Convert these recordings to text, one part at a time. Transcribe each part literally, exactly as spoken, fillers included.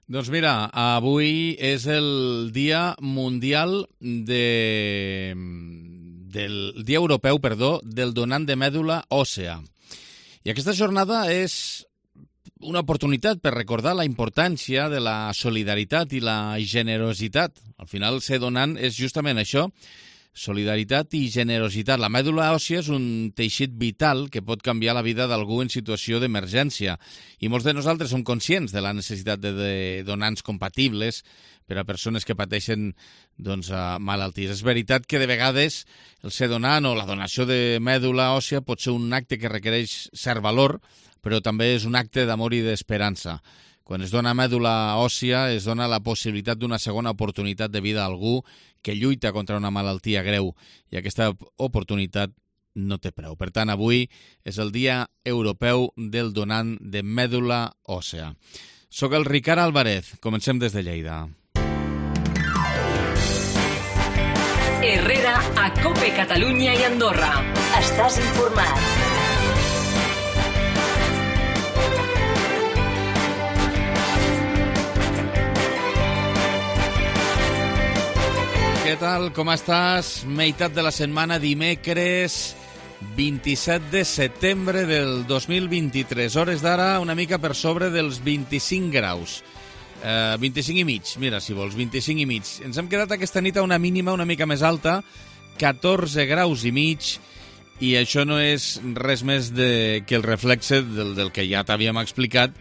Doncs mira, avui és el Dia Mundial de... del Dia Europeu, perdó, del donant de mèdula òssea. I aquesta jornada és una oportunitat per recordar la importància de la solidaritat i la generositat. Al final, ser donant és justament això, solidaritat i generositat. La mèdula òssia és un teixit vital que pot canviar la vida d'algú en situació d'emergència. I molts de nosaltres som conscients de la necessitat de, de donants compatibles per a persones que pateixen doncs, malalties. És veritat que de vegades el ser donant o la donació de mèdula òssia pot ser un acte que requereix cert valor, però també és un acte d'amor i d'esperança. Quan es dona mèdula òssia, es dona la possibilitat d'una segona oportunitat de vida a algú que lluita contra una malaltia greu, i aquesta oportunitat no té preu. Per tant, avui és el Dia Europeu del Donant de Mèdula Òssea. Soc el Ricard Álvarez. Comencem des de Lleida. Herrera, a COPE Catalunya i Andorra. Estàs informat. Què tal? Com estàs? Meitat de la setmana, dimecres vint-i-set de setembre del dos mil vint-i-tres. Hores d'ara una mica per sobre dels vint-i-cinc graus. Eh, vint-i-cinc i mig, mira, si vols, vint-i-cinc i mig. Ens hem quedat aquesta nit a una mínima una mica més alta, catorze graus i mig, i això no és res més de, que el reflexe del, del que ja t'havíem explicat,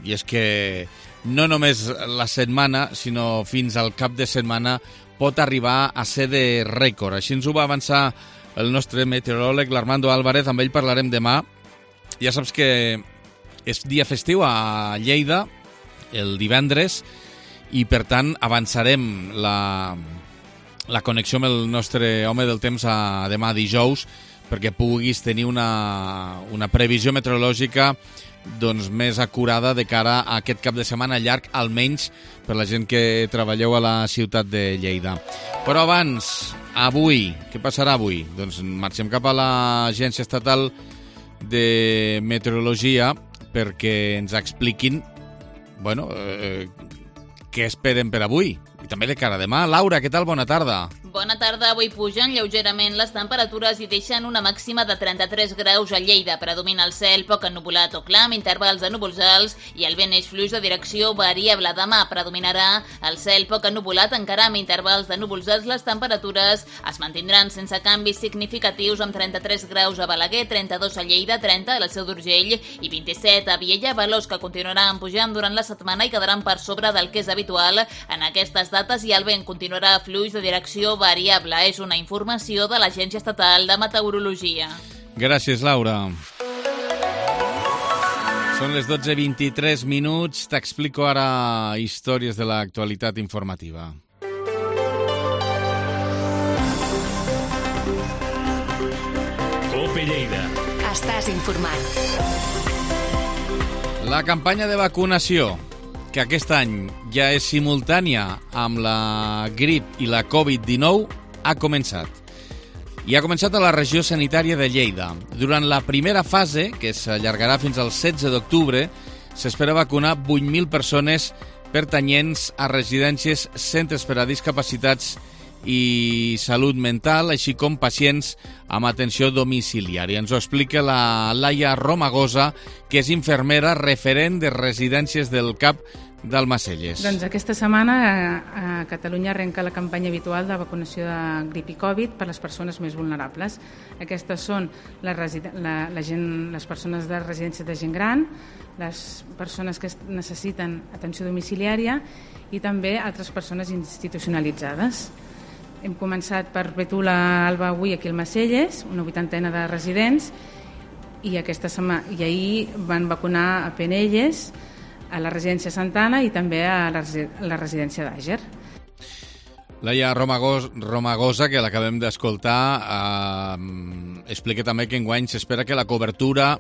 i és que no només la setmana, sinó fins al cap de setmana pot arribar a ser de rècord. Així ens ho va avançar el nostre meteoròleg, l'Armando Álvarez. Amb ell parlarem demà. Ja saps que és dia festiu a Lleida, el divendres, i per tant avançarem la, la connexió amb el nostre home del temps a demà dijous, perquè puguis tenir una, una previsió meteorològica doncs, més acurada de cara a aquest cap de setmana llarg, almenys per la gent que treballeu a la ciutat de Lleida. Però abans, avui, què passarà avui? Doncs marxem cap a l'Agència Estatal de Meteorologia perquè ens expliquin bueno, eh, què esperen per avui i també de cara a demà. Laura, què tal? Bona tarda. Bona tarda. Avui pugen lleugerament les temperatures i deixen una màxima de trenta-tres graus a Lleida. Predomina el cel poc ennuvolat o clar, amb intervals de núvols alts, i el vent és fluix de direcció variable. Demà predominarà el cel poc ennuvolat, encara amb intervals de núvols alts. Les temperatures es mantindran sense canvis significatius, amb trenta-tres graus a Balaguer, trenta-dos a Lleida, trenta a la Seu d'Urgell i vint-i-set a Viella, valors que continuaran pujant durant la setmana i quedaran per sobre del que és habitual en aquestes dates, i el vent continuarà fluix de direcció variable. És una informació de l'Agència Estatal de Meteorologia. Gràcies, Laura. Són les dotze i vint-i-tres minuts. T'explico ara històries de l'actualitat informativa. COPE Lleida. Estàs informat. La campanya de vacunació, que aquest any ja és simultània amb la grip i la covid dinou, ha començat. I ha començat a la regió sanitària de Lleida. Durant la primera fase, que s'allargarà fins al setze d'octubre, s'espera vacunar vuit mil persones pertanyents a residències, centres per a discapacitats i salut mental, així com pacients amb atenció domiciliària. Ens ho explica la Laia Romagosa, que és infermera referent de residències del C A P d'Almacelles. Doncs aquesta setmana a Catalunya arrenca la campanya habitual de vacunació de grip i Covid per les persones més vulnerables. Aquestes són la, la, la gent, les persones de residències de gent gran, les persones que necessiten atenció domiciliària i també altres persones institucionalitzades. Hem començat per Betula Alba avui aquí al Almacelles, una vuitantena de residents, i, aquesta setmana, i ahir van vacunar a Penelles, a la residència Santana i també a la, a la residència d'Àger. Laia Romagosa, Romagosa que l'acabem d'escoltar, eh, explica també que enguany s'espera que la cobertura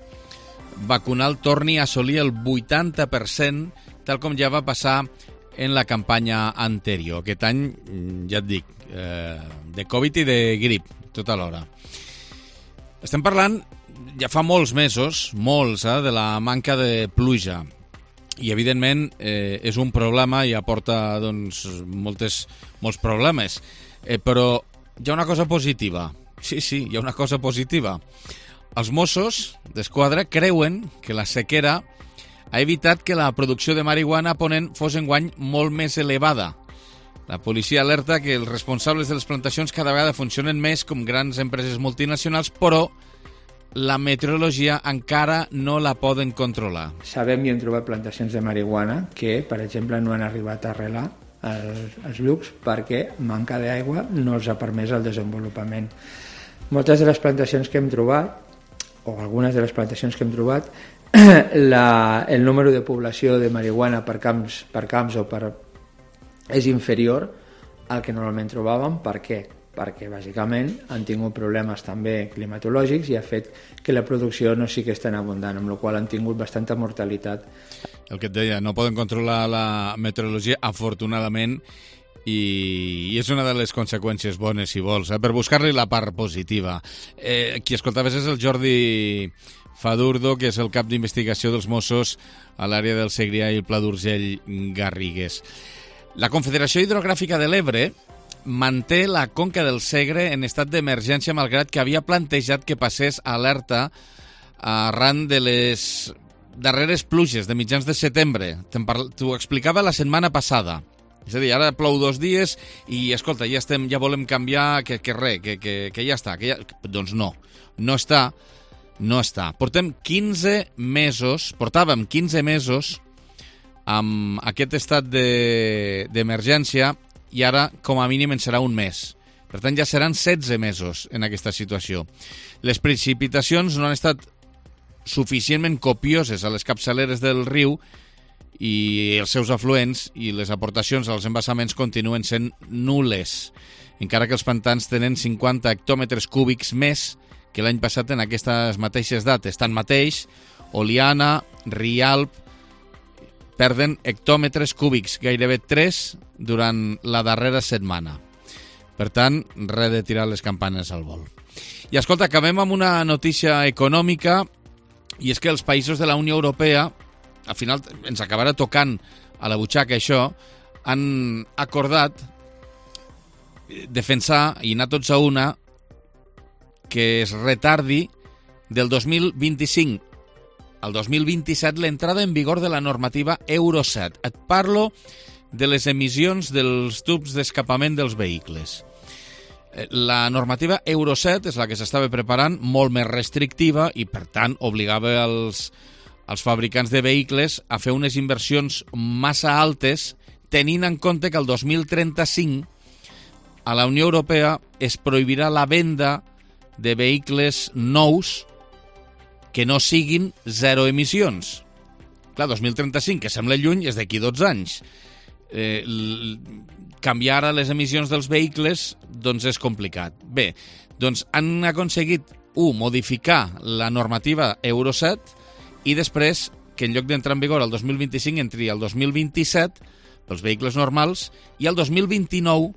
vacunal torni a assolir el vuitanta per cent, tal com ja va passar en la campanya anterior. Aquest any, ja et dic, eh, de Covid i de grip, tota l'hora. Estem parlant, ja fa molts mesos, molts, eh, de la manca de pluja. i evidentment eh, és un problema i aporta doncs, moltes, molts problemes. Eh, però hi ha una cosa positiva. Sí, sí, hi ha una cosa positiva. Els Mossos d'Esquadra creuen que la sequera ha evitat que la producció de marihuana a Ponent fos enguany molt més elevada. La policia alerta que els responsables de les plantacions cada vegada funcionen més com grans empreses multinacionals, però la meteorologia encara no la poden controlar. Sabem i hem trobat plantacions de marihuana que, per exemple, no han arribat a arrelar els, els llucs perquè manca d'aigua no els ha permès el desenvolupament. Moltes de les plantacions que hem trobat, o algunes de les plantacions que hem trobat, la, el número de població de marihuana per camps, per camps o per, és inferior al que normalment trobàvem. Per què? Perquè bàsicament han tingut problemes també climatològics i ha fet que la producció no sigui tan abundant, amb la qual han tingut bastanta mortalitat. El que et deia, no poden controlar la meteorologia, afortunadament, i, i és una de les conseqüències bones, si vols, eh? Per buscar-li la part positiva. Eh, qui escoltaves és el Jordi Fadurdo, que és el cap d'investigació dels Mossos a l'àrea del Segrià i el Pla d'Urgell-Garrigues. La Confederació Hidrogràfica de l'Ebre manté la conca del Segre en estat d'emergència, malgrat que havia plantejat que passés alerta arran de les darreres pluges de mitjans de setembre. T'ho explicava la setmana passada. És a dir, ara plou dos dies i, escolta, ja estem, ja volem canviar, que, que res, que, que, que ja està. Que ja... Doncs no, no està, no està. Portem quinze mesos, portàvem quinze mesos amb aquest estat de, d'emergència, i ara, com a mínim, en serà un mes. Per tant, ja seran setze mesos en aquesta situació. Les precipitacions no han estat suficientment copioses a les capçaleres del riu i els seus afluents, i les aportacions als embassaments continuen sent nules, encara que els pantans tenen cinquanta hectòmetres cúbics més que l'any passat en aquestes mateixes dates. Tanmateix, Oliana, Rialp, perden hectòmetres cúbics, gairebé tres durant la darrera setmana. Per tant, res de tirar les campanes al vol. I escolta, acabem amb una notícia econòmica, i és que els països de la Unió Europea, al final ens acabarà tocant a la butxaca això, han acordat defensar, i anar tots a una, que es retardi del dos mil vint-i-cinc al dos mil vint-i-set l'entrada en vigor de la normativa Euro set. Et parlo de les emissions dels tubs d'escapament dels vehicles. La normativa Euro set és la que s'estava preparant, molt més restrictiva, i per tant obligava els, els fabricants de vehicles a fer unes inversions massa altes, tenint en compte que el dos mil trenta-cinc a la Unió Europea es prohibirà la venda de vehicles nous que no siguin zero emissions. Clar, dos mil trenta-cinc, que sembla lluny, és d'aquí dotze anys. Eh, canviar ara les emissions dels vehicles doncs és complicat. Bé, doncs han aconseguit, un, modificar la normativa Euro set, i després que en lloc d'entrar en vigor el dos mil vint-i-cinc entri el dos mil vint-i-set pels vehicles normals, i el dos mil vint-i-nou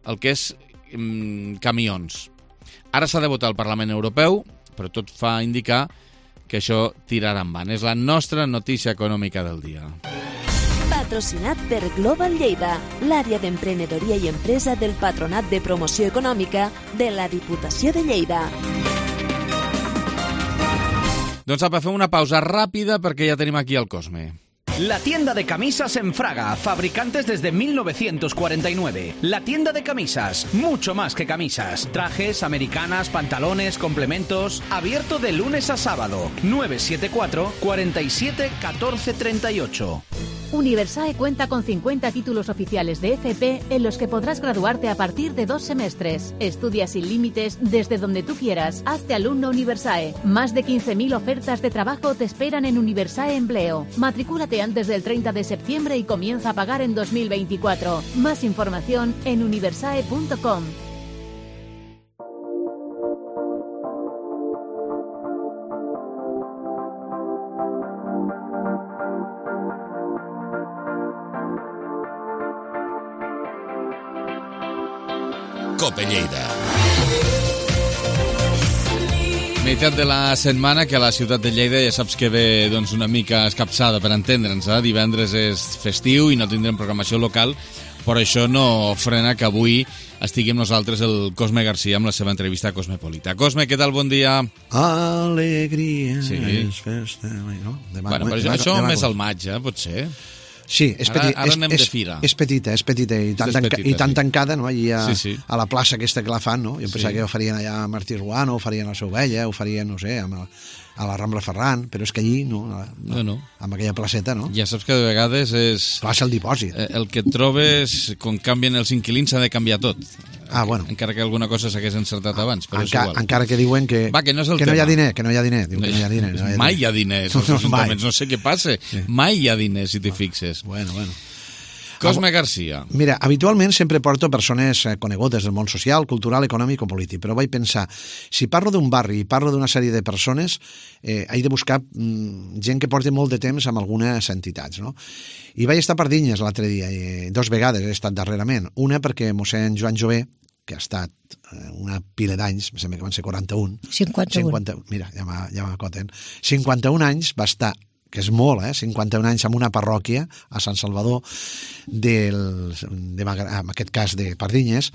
el que és mm, camions. Ara s'ha de votar al Parlament Europeu, però tot fa indicar que això tirarà endavant. És la nostra notícia econòmica del dia. Patrocinat per Global Lleida, l'àrea d'emprenedoria i empresa del Patronat de Promoció Econòmica de la Diputació de Lleida. Doncs apa, fem una pausa ràpida perquè ja tenim aquí el Cosme. La tienda de camisas en Fraga, fabricantes desde mil novecientos cuarenta y nueve. La tienda de camisas, mucho más que camisas. Trajes, americanas, pantalones, complementos. Abierto de lunes a sábado. nueve siete cuatro, cuatro siete, uno cuatro tres ocho. Universae cuenta con cincuenta títulos oficiales de F P en los que podrás graduarte a partir de dos semestres. Estudia sin límites desde donde tú quieras. Hazte alumno Universae. Más de quince mil ofertas de trabajo te esperan en Universae Empleo. Matricúlate antes del treinta de septiembre y comienza a pagar en dos mil veinticuatro. Más información en universae punto com. Cope Lleida. Meitat de la setmana que a la ciutat de Lleida ja saps que ve doncs, una mica escapçada, per entendre'ns. Eh? Divendres és festiu i no tindrem programació local, però això no frena que avui estigui amb nosaltres el Cosme Garcia amb la seva entrevista a Cosmopolita. Cosme, què tal? Bon dia. Alegria sí. és festa... No? Demà, bueno, però demà, això demà, més al maig, eh? Pot ser. Sí, és, ara, petit, ara és, anem és, de fira. És petita, és petita i tan, tanca, petita, i tan sí. tancada, no? Allí a, sí, sí. a la plaça aquesta que la fan, no? Jo pensava sí. que ho farien allà a Martí Ruano, ho farien a la Seu Vella, ho farien, no sé, a, a la Rambla Ferran, però és que allí, no, no, no, no. amb aquella placeta, no? Ja saps que de vegades és... Passa el dipòsit. El que et trobes, quan canvien els inquilins, s'ha de canviar tot. Ah, bueno. Encara que alguna cosa s'hagués encertat abans, però Enca, és igual. Encara que diuen que, Va, que, no, és el que no hi ha tema. diner, que no hi ha diner. Diu que no hi ha diner, no hi ha diner. Mai hi ha diners, els ajuntaments, no sé què passa. Sí. Mai hi ha diners, si t'hi fixes. Bueno, bueno. Cosme Garcia. Mira, habitualment sempre porto persones conegudes del món social, cultural, econòmic o polític, però vaig pensar, si parlo d'un barri i parlo d'una sèrie de persones, eh, he de buscar mm, gent que porti molt de temps amb algunes entitats, no? I vaig estar a Pardinyes l'altre dia, i dos vegades he estat darrerament. Una perquè mossèn Joan Jové, que ha estat eh, una pila d'anys, em sembla que van ser quaranta-un. cinquanta-un. cinquanta, mira, ja m'acoten. cinquanta-un anys va estar, que és molt, eh? cinquanta-un anys en una parròquia a Sant Salvador, del, de, en aquest cas de Pardinyes,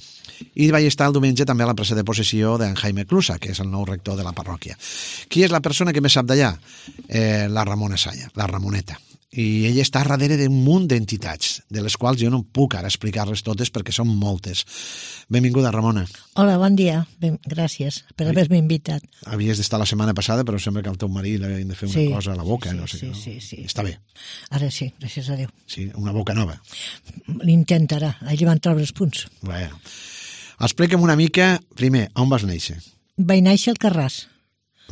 i vaig estar el diumenge també a la presa de possessió d'en Jaime Clusa, que és el nou rector de la parròquia. Qui és la persona que més sap d'allà? Eh, la Ramona Saya, la Ramoneta. I ella està darrere d'un munt d'entitats, de les quals jo no puc ara explicar-les totes perquè són moltes. Benvinguda, Ramona. Hola, bon dia. Ben, gràcies per haver-me invitat. Havies d'estar la setmana passada, però sembla que al teu marit li havien de fer una sí, cosa a la boca. Sí, no sé sí, no? sí, sí. Està bé. Ara sí, gràcies a Déu. Sí, una boca nova. L'intentarà, allí van treure els punts. Bueno. Explica'm una mica, primer, on vas néixer? Vaig néixer al Carràs.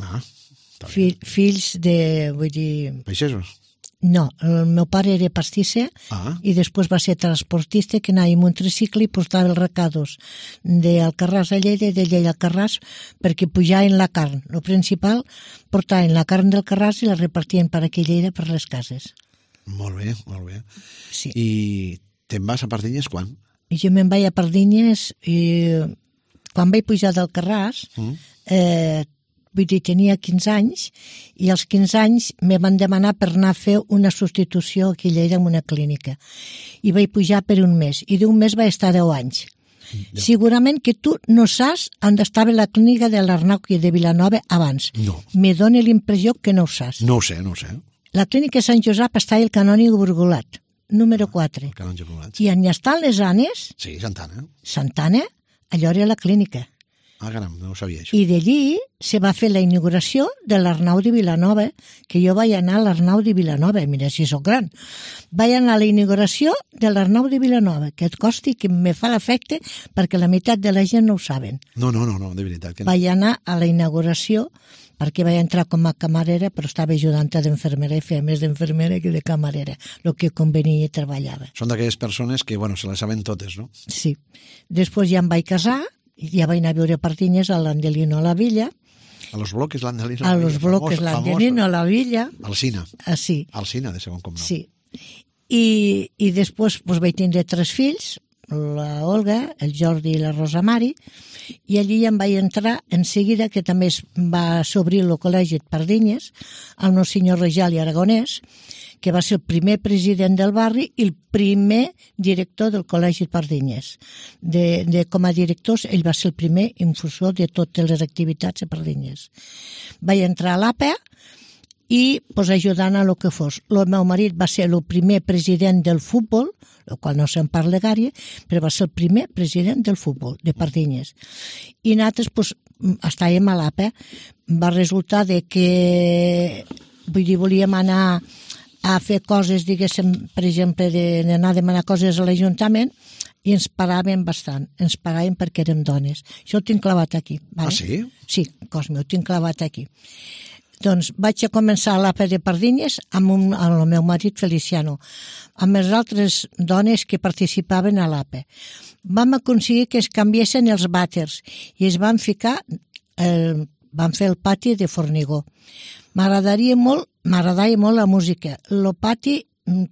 Ah, Fill, fills de, vull dir... Peixesos? No, el meu pare era pastisser ah. i després va ser transportista que anava amb un tricicle i portava els recados d'Alcarràs a Lleida i de Lleida a Alcarràs perquè pujaven la carn. El principal, portaven la carn del Carràs i la repartien per aquí a Lleida per les cases. Molt bé, molt bé. Sí. I te'n vas a Pardinyes quan? I jo me'n vaig a Pardinyes i quan vaig pujar del Carràs mm. eh, vull dir, tenia quinze anys i als quinze anys me van demanar per anar a fer una substitució aquí a Lleida en una clínica. I vaig pujar per un mes. I d'un mes vaig estar deu anys. Ja. Segurament que tu no saps on estava la clínica de l'Arnau i de Vilanova abans. No. Me dóna l'impressió que no ho saps. No ho sé, no ho sé. La clínica Sant Josep està al Canònic Burgolat, número quatre. El Canònic Burgolat. I on hi estan les Anes? Sí, Santana. Santana, allò era la clínica. Ah, caram, no ho sabia, això. I d'allí se va fer la inauguració de l'Arnau de Vilanova, que jo vaig anar a l'Arnau de Vilanova, mira si sóc gran. Vaig anar a la inauguració de l'Arnau de Vilanova, que et costi que me fa l'efecte perquè la meitat de la gent no ho saben. No, no, no, no de veritat que no. Vaig anar a la inauguració perquè vaig entrar com a camarera, però estava ajudant d'enfermera i feia més d'enfermera que de camarera, el que convenia i treballava. Són d'aquelles persones que, bueno, se les saben totes, no? Sí. Després ja em vaig casar, ja vaig anar a viure a Pardinyes a l'Angelino a la Villa. A los bloques l'Angelino a los bloques l'Angelino a la Villa. Alcina. Ah, sí. Alcina, de segon cognom. Sí. I, i després pues, vaig tindre tres fills, la Olga, el Jordi i la Rosa Mari, i allí em vaig entrar en seguida, que també es va s'obrir el col·legi de Pardinyes, el meu senyor Rejal i Aragonès, que va ser el primer president del barri i el primer director del Col·legi de Pardinyes. De, de, com a directors, ell va ser el primer infusor de totes les activitats a Pardinyes. Vaig entrar a l'A P E i pues, ajudant a lo que fos. El meu marit va ser el primer president del futbol, el qual no se'n parla gaire, però va ser el primer president del futbol de Pardinyes. I nosaltres pues, estàvem a l'A P E. Va resultar de que vull dir, volíem anar a fer coses, diguéssim, per exemple, d'anar a demanar coses a l'Ajuntament i ens paràvem bastant. Ens paràvem perquè érem dones. Això ho tinc clavat aquí. Vale? Ah, sí? Sí, Cosme, ho tinc clavat aquí. Doncs vaig a començar a l'A P E de Pardinyes amb, un, amb el meu marit Feliciano, amb les altres dones que participaven a l'A P E. Vam aconseguir que es canviessin els vàters i es van ficar, el, van fer el pati de formigó. M'agradaria molt, m'agradava molt la música. El pati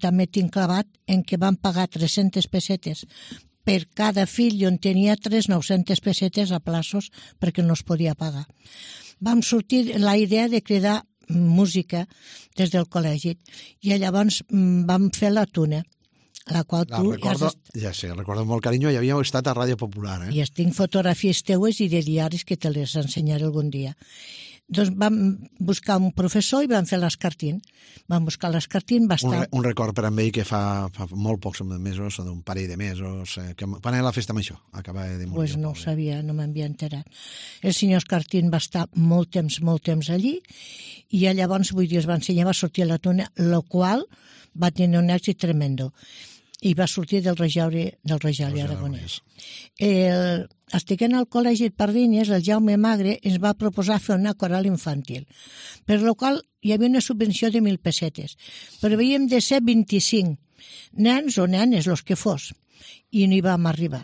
també tinc clavat en què van pagar tres-centes pessetes per cada fill, jo en tenia tres, nou-centes pessetes a plaços perquè no es podia pagar. vam sortir la idea de cridar música des del col·legi i llavors vam fer la tuna, la qual la tu... recordo, has... ja sé, recordo molt carinyo, i havíeu estat a Ràdio Popular, eh? I tinc fotografies teues i de diaris que te les ensenyaré algun dia. Doncs vam buscar un professor i vam fer l'escartín. Vam buscar l'escartín, va estar... Un, re, un record per amb ell que fa, fa molt pocs mesos, d'un parell de mesos, eh, que quan era la festa amb això? Acaba de morir. Pues no ho sabia, no m'havia enterat. El senyor Escartín va estar molt temps, molt temps allí, i llavors, vull dir, es va ensenyar, va sortir a la tuna, el qual va tenir un èxit tremendo. I va sortir del Regiauri, del Regiauri Aragonès. El, estiguent al col·legi de Pardinyes, el Jaume Magre ens va proposar fer una coral infantil, per la qual hi havia una subvenció de mil pessetes, però havíem de ser vint-i-cinc nens o nenes, els que fos, i no hi vam arribar.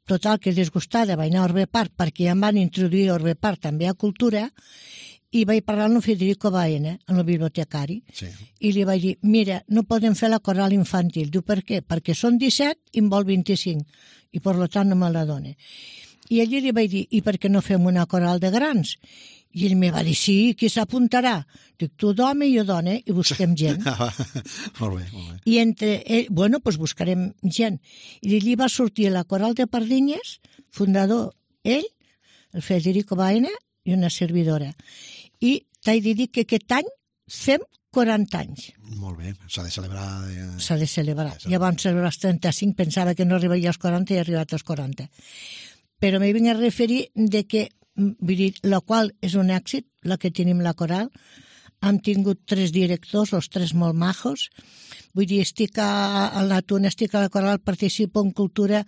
Total, que disgustada vaig anar a Orbe Park, perquè ja em van introduir a Orbe Park també a cultura, i vaig parlar amb Federico Baena, amb el bibliotecari, sí. I li vaig dir, mira, no podem fer la coral infantil. Diu, per què? Perquè són disset i em vol vint-i-cinc, i per tant no me la dona. I allí li vaig dir, i per què no fem una coral de grans? I ell me va dir, sí, qui s'apuntarà? Dic, tu d'home i jo dona, i busquem gent. Molt bé, molt bé. I entre ell, bueno, doncs buscarem gent. I allí va sortir la coral de Pardinyes, fundador ell, el Federico Baena, i una servidora. I t'he de dir que aquest any fem quaranta anys. Molt bé, s'ha de celebrar... De... S'ha de celebrar. Ja vam celebrar els trenta-cinc, pensava que no arribaria als quaranta i he arribat als quaranta. Però m'hi vinc a referir de que, vull dir, la qual és un èxit, la que tenim la coral. Hem tingut tres directors, els tres molt majos. Vull dir, estic a, a la tuna, estic a la coral, participo en cultura,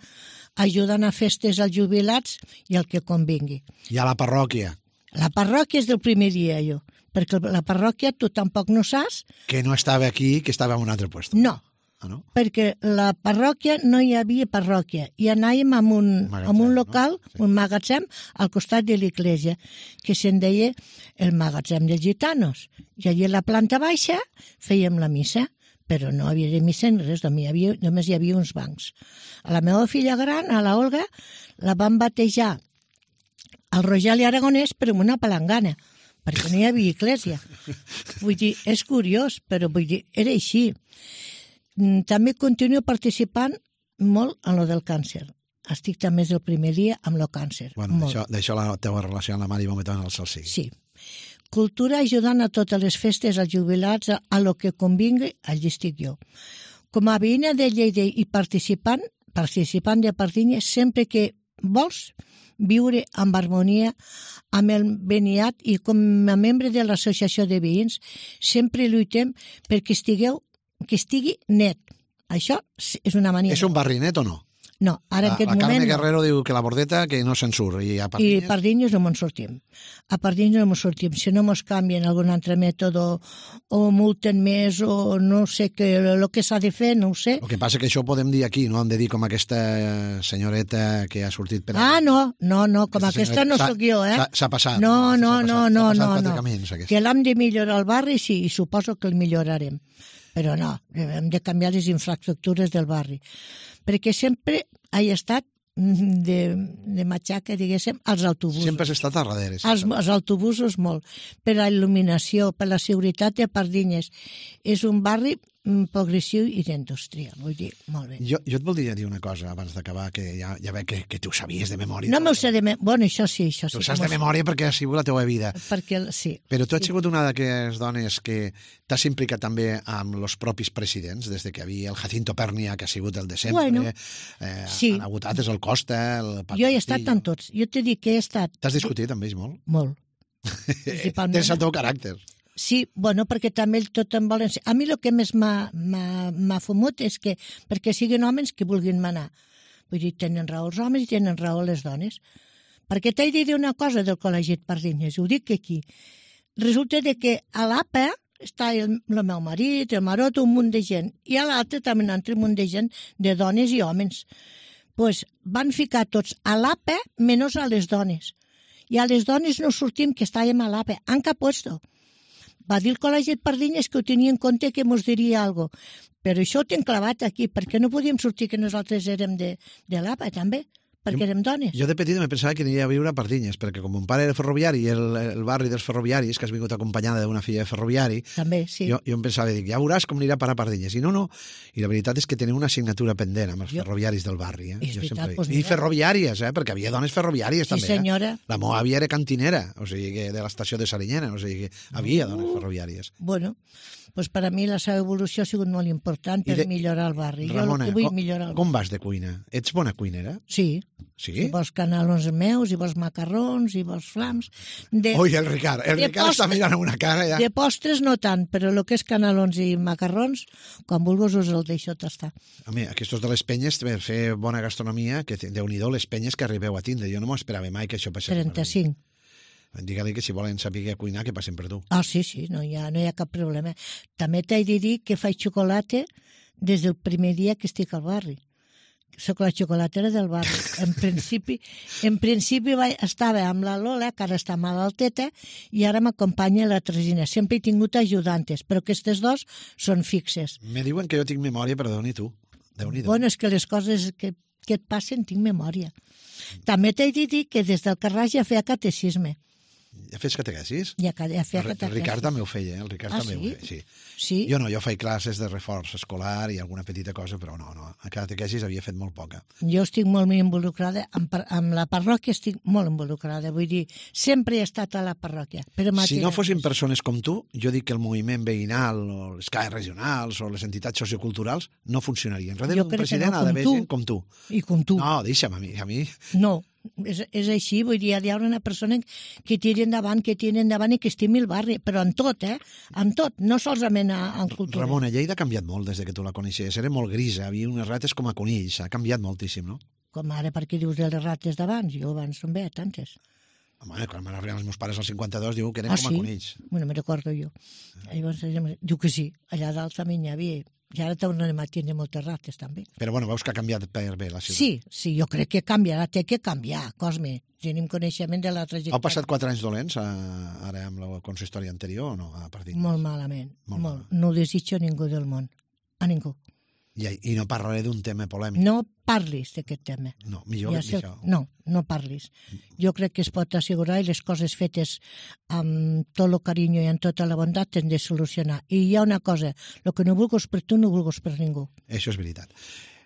ajudant a festes als jubilats i el que convingui. I a la parròquia? La parròquia és del primer dia, jo, perquè la parròquia tu tampoc no saps... Que no estava aquí, que estava en un altre lloc. No, ah, no? perquè la parròquia no hi havia parròquia, i anàvem amb un, magatzem, amb un local, no? Sí. Un magatzem, al costat de l'església, que se'n deia el magatzem dels gitanos. I allà a la planta baixa fèiem la missa, però no havia de missa ni res, només hi havia, només hi havia uns bancs. A la meva filla gran, a la Olga, la van batejar al Rogeli Aragonès, però amb una palangana, perquè no hi havia església. Vull dir, és curiós, però vull dir, era així. També continuo participant molt en lo del càncer. Estic també des del primer dia amb el càncer. Bueno, d'això la teva relació amb la Mari Bometón al Salsí. Sí. Cultura ajudant a totes les festes, als jubilats, a, a lo que convingui, allí estic jo. Com a veïna de Lleida i participant, participant de Pardinyes, sempre que vols viure amb harmonia amb el Beniat i com a membre de l'associació de veïns sempre lluitem perquè estigueu, que estigui net. Això és una mania. És un barri net o no? No, ara en aquest moment... La Carme moment Guerrero no. Diu que la Bordeta que no se'n surt. I a Pardinyes... I a Pardinyes no me'n sortim. A Pardinyes no me'n sortim. Si no mos canvien algun altre mètode o multen més o no sé què, el que s'ha de fer, no ho sé. El que passa que això ho podem dir aquí, no? Hem de dir com aquesta senyoreta que ha sortit per... Ah, no, no, no, com aquesta, aquesta no sóc jo, eh? S'ha passat. No, no, no, no, no, no. Camins, que l'hem de millorar el barri, sí, i suposo que el millorarem. Però no, hem de canviar les infraestructures del barri. Perquè sempre he estat de, de matxaca, diguéssim, als autobusos. Sempre has estat a darrere. Els, els autobusos molt. Per la il·luminació, per la seguretat de Pardinyes. És un barri progressiu i d'indústria, vull dir, molt bé. Jo, jo et voldria dir una cosa abans d'acabar, que ja, ja veig que, que tu ho sabies de memòria. No m'ho sé de memòria, bueno, això sí, això sí. Tu saps de memòria perquè ha sigut la teva vida. Perquè, sí. Però tu has sí. sigut una d'aquelles dones que t'has implicat també amb els propis presidents, des de que hi havia el Jacinto Pernia, que ha sigut el de sempre, bueno, eh, sí. han hagut altres, el Costa, el Pat Jo he estat amb tots, jo t'he dit que he estat... T'has discutit amb ells molt? Molt. Tens el teu caràcter. Sí, bueno, perquè també tot em volen... A mi el que més m'ha fumut és que perquè siguin homes que vulguin manar. Vull dir, tenen raó els homes i tenen raó les dones. Perquè t'he de dir una cosa del Col·legi de Pardinyes, ho dic aquí. Resulta de que a l'A P A està el, el meu marit, el marot, un munt de gent, i a l'altre també un altre munt de gent, de dones i homes. Pues van ficar tots a l'A P A menys a les dones. I a les dones no sortim que estàvem a l'A P A, en cap puesto. Va dir el Col·legi de Pardinyes que ho tenia en compte que mos diria alguna cosa. Però això ho tinc clavat aquí, perquè no podíem sortir que nosaltres érem de, de l'A P A, també. perquè érem dones. Jo de petit me pensava que aniria a viure a Pardinyes, perquè com mon pare era ferroviari i el, el barri dels ferroviaris, que has vingut acompanyada d'una filla de ferroviari, també, sí. jo, jo em pensava, dic, ja veuràs com anirà a parar a Pardinyes. I no, no. I la veritat és que tenia una assignatura pendent amb els jo... ferroviaris del barri. Eh? És jo veritat, sempre... doncs I ferroviàries, eh? Perquè havia dones ferroviàries sí, també. Senyora. Eh? La meva àvia era cantinera, o sigui, que de l'estació de Sarinyena, o sigui, que havia dones ferroviàries. Bueno, doncs per a mi la seva evolució ha sigut molt important per de... millorar el barri. Ramona, jo vull com, millorar el com vas de cuina? Ets bona cuinera? Sí. Sí? Si vols canelons meus, i vols macarrons, i vols flams... De, Ui, el Ricard, el Ricard postres, està mirant una cara ja. De postres no tant, però el que és canelons i macarrons, quan vulguis us el deixo tastar. Home, aquests de les penyes, per fer bona gastronomia, que déu-n'hi-do les penyes que arribeu a tindre. Jo no m'ho esperava mai que això passés. trenta-cinc. Digue-li que si volen saber cuinar, que passen per tu. Ah, sí, sí, no hi ha, no hi ha cap problema. També t'he de dir que faig xocolata des del primer dia que estic al barri. Soc la xocolatera del barri. En principi, en principi vaig, estava amb la Lola, que ara està malalteta, i ara m'acompanya la Tresina. Sempre he tingut ajudantes, però aquestes dos són fixes. Me diuen que jo tinc memòria, però Déu-n'hi tu. Déu-n'hi-do. Bueno, és que les coses que, que et passen tinc memòria. També t'he de dir que des del Carràs ja feia catecisme. Ja fes catequesis? Ja, ja feia catequesis. El Ricard també ho feia, eh? El Ricard ah, també sí? ho feia, sí. sí. Jo no, jo faig classes de reforç escolar i alguna petita cosa, però no, no. A catequesis havia fet molt poca. Jo estic molt involucrada, amb, amb la parròquia estic molt involucrada, vull dir, sempre he estat a la parròquia. Però si no fossin persones com tu, jo dic que el moviment veïnal, o les C A E regionals, o les entitats socioculturals, no funcionarien. Darrere d'un president no, ha d'haver gent com tu. I com tu. No, deixa'm a mi. A mi... No. És, és així, vull dir, hi ha una persona que tiri endavant, que tiri endavant i que estimi el barri, però en tot, eh? En tot, no solament en cultura. Ramona, Lleida ha canviat molt des que tu la coneixies. Era molt grisa, havia unes rates com a conills, ha canviat moltíssim, no? Com ara, per què dius de les rates d'abans? Jo abans no en veia tantes. Home, quan van arribar els meus pares al cinquanta-dos, diu que eren ah, com a sí? conills. Bueno, me recordo jo. Llavors, diu que sí, allà dalt també n'hi havia. I ara tornem a tindre moltes rates, també. Però, bueno, veus que ha canviat per bé la ciutat. Sí, sí, jo crec que canviarà, té que canviar, Cosme. Tenim coneixement de la trajectòria. Heu passat quatre anys dolents, ara amb la consistori anterior, o no? A partir molt malament, molt. molt. Mal. No ho desitjo a ningú del món, a ningú. I, I no parlaré d'un tema polèmic. No parlis d'aquest tema. No, millor ja que això. No, no parlis. Jo crec que es pot assegurar i les coses fetes amb tot el carinyo i amb tota la bondat t'han de solucionar. I hi ha una cosa, el que no vulguis per tu no vulguis per ningú. Això és veritat.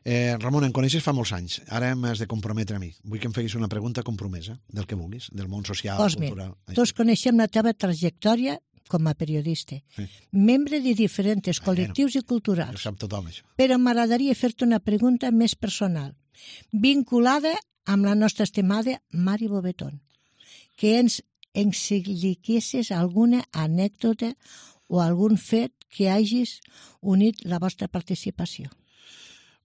Eh, Ramon, em coneixes fa molts anys. Ara m'has de comprometre a mi. Vull que em feguis una pregunta compromesa, del que vulguis, del món social, Cosme, cultural. Tots coneixem la teva trajectòria com a periodista, sí. membre de diferents col·lectius ah, bueno, i culturals. Ho sap tothom, això. Però m'agradaria fer-te una pregunta més personal, vinculada amb la nostra estimada Mari Bobetón, que ens expliquessis alguna anècdota o algun fet que hagis unit la vostra participació.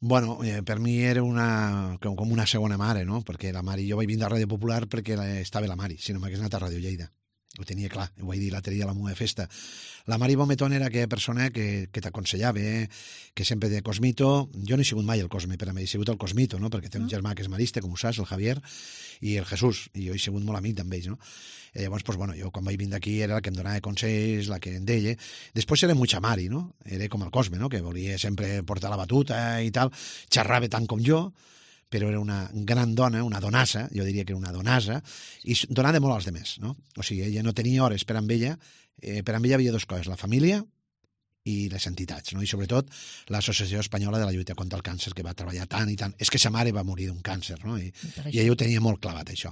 Bueno, eh, per mi era una, com, com una segona mare, no? Perquè la Mari, jo vaig vindre a Ràdio Popular perquè estava la Mari, si no m'hagués anat a Ràdio Lleida. Ho tenia clar, ho vaig dir l'altre dia a la meva festa. La Mari Bometón era aquella persona que, que t'aconsellava, eh? Que sempre de Cosmito... Jo no he sigut mai el Cosme, per a mi he sigut el Cosmito, no? Perquè té un germà que és marista, com ho saps, el Javier, i el Jesús, i jo he sigut molt amic amb ells, no? Eh, llavors, pues, bueno, jo quan vaig vindre aquí era la que em donava consells, la que em deia. Després era mucha Mari, no? Era com el Cosme, no? Que volia sempre portar la batuta i tal, xerrava tant com jo, però era una gran dona, una donassa, jo diria que era una donassa, i donava molt als demés, no? O sigui, ella no tenia hores per amb ella, eh, per amb ella havia dues coses, la família i les entitats, no? I sobretot l'Associació Espanyola de la Lluita contra el Càncer, que va treballar tant i tant. És que sa mare va morir d'un càncer, no? I, i ella ho tenia molt clavat, això.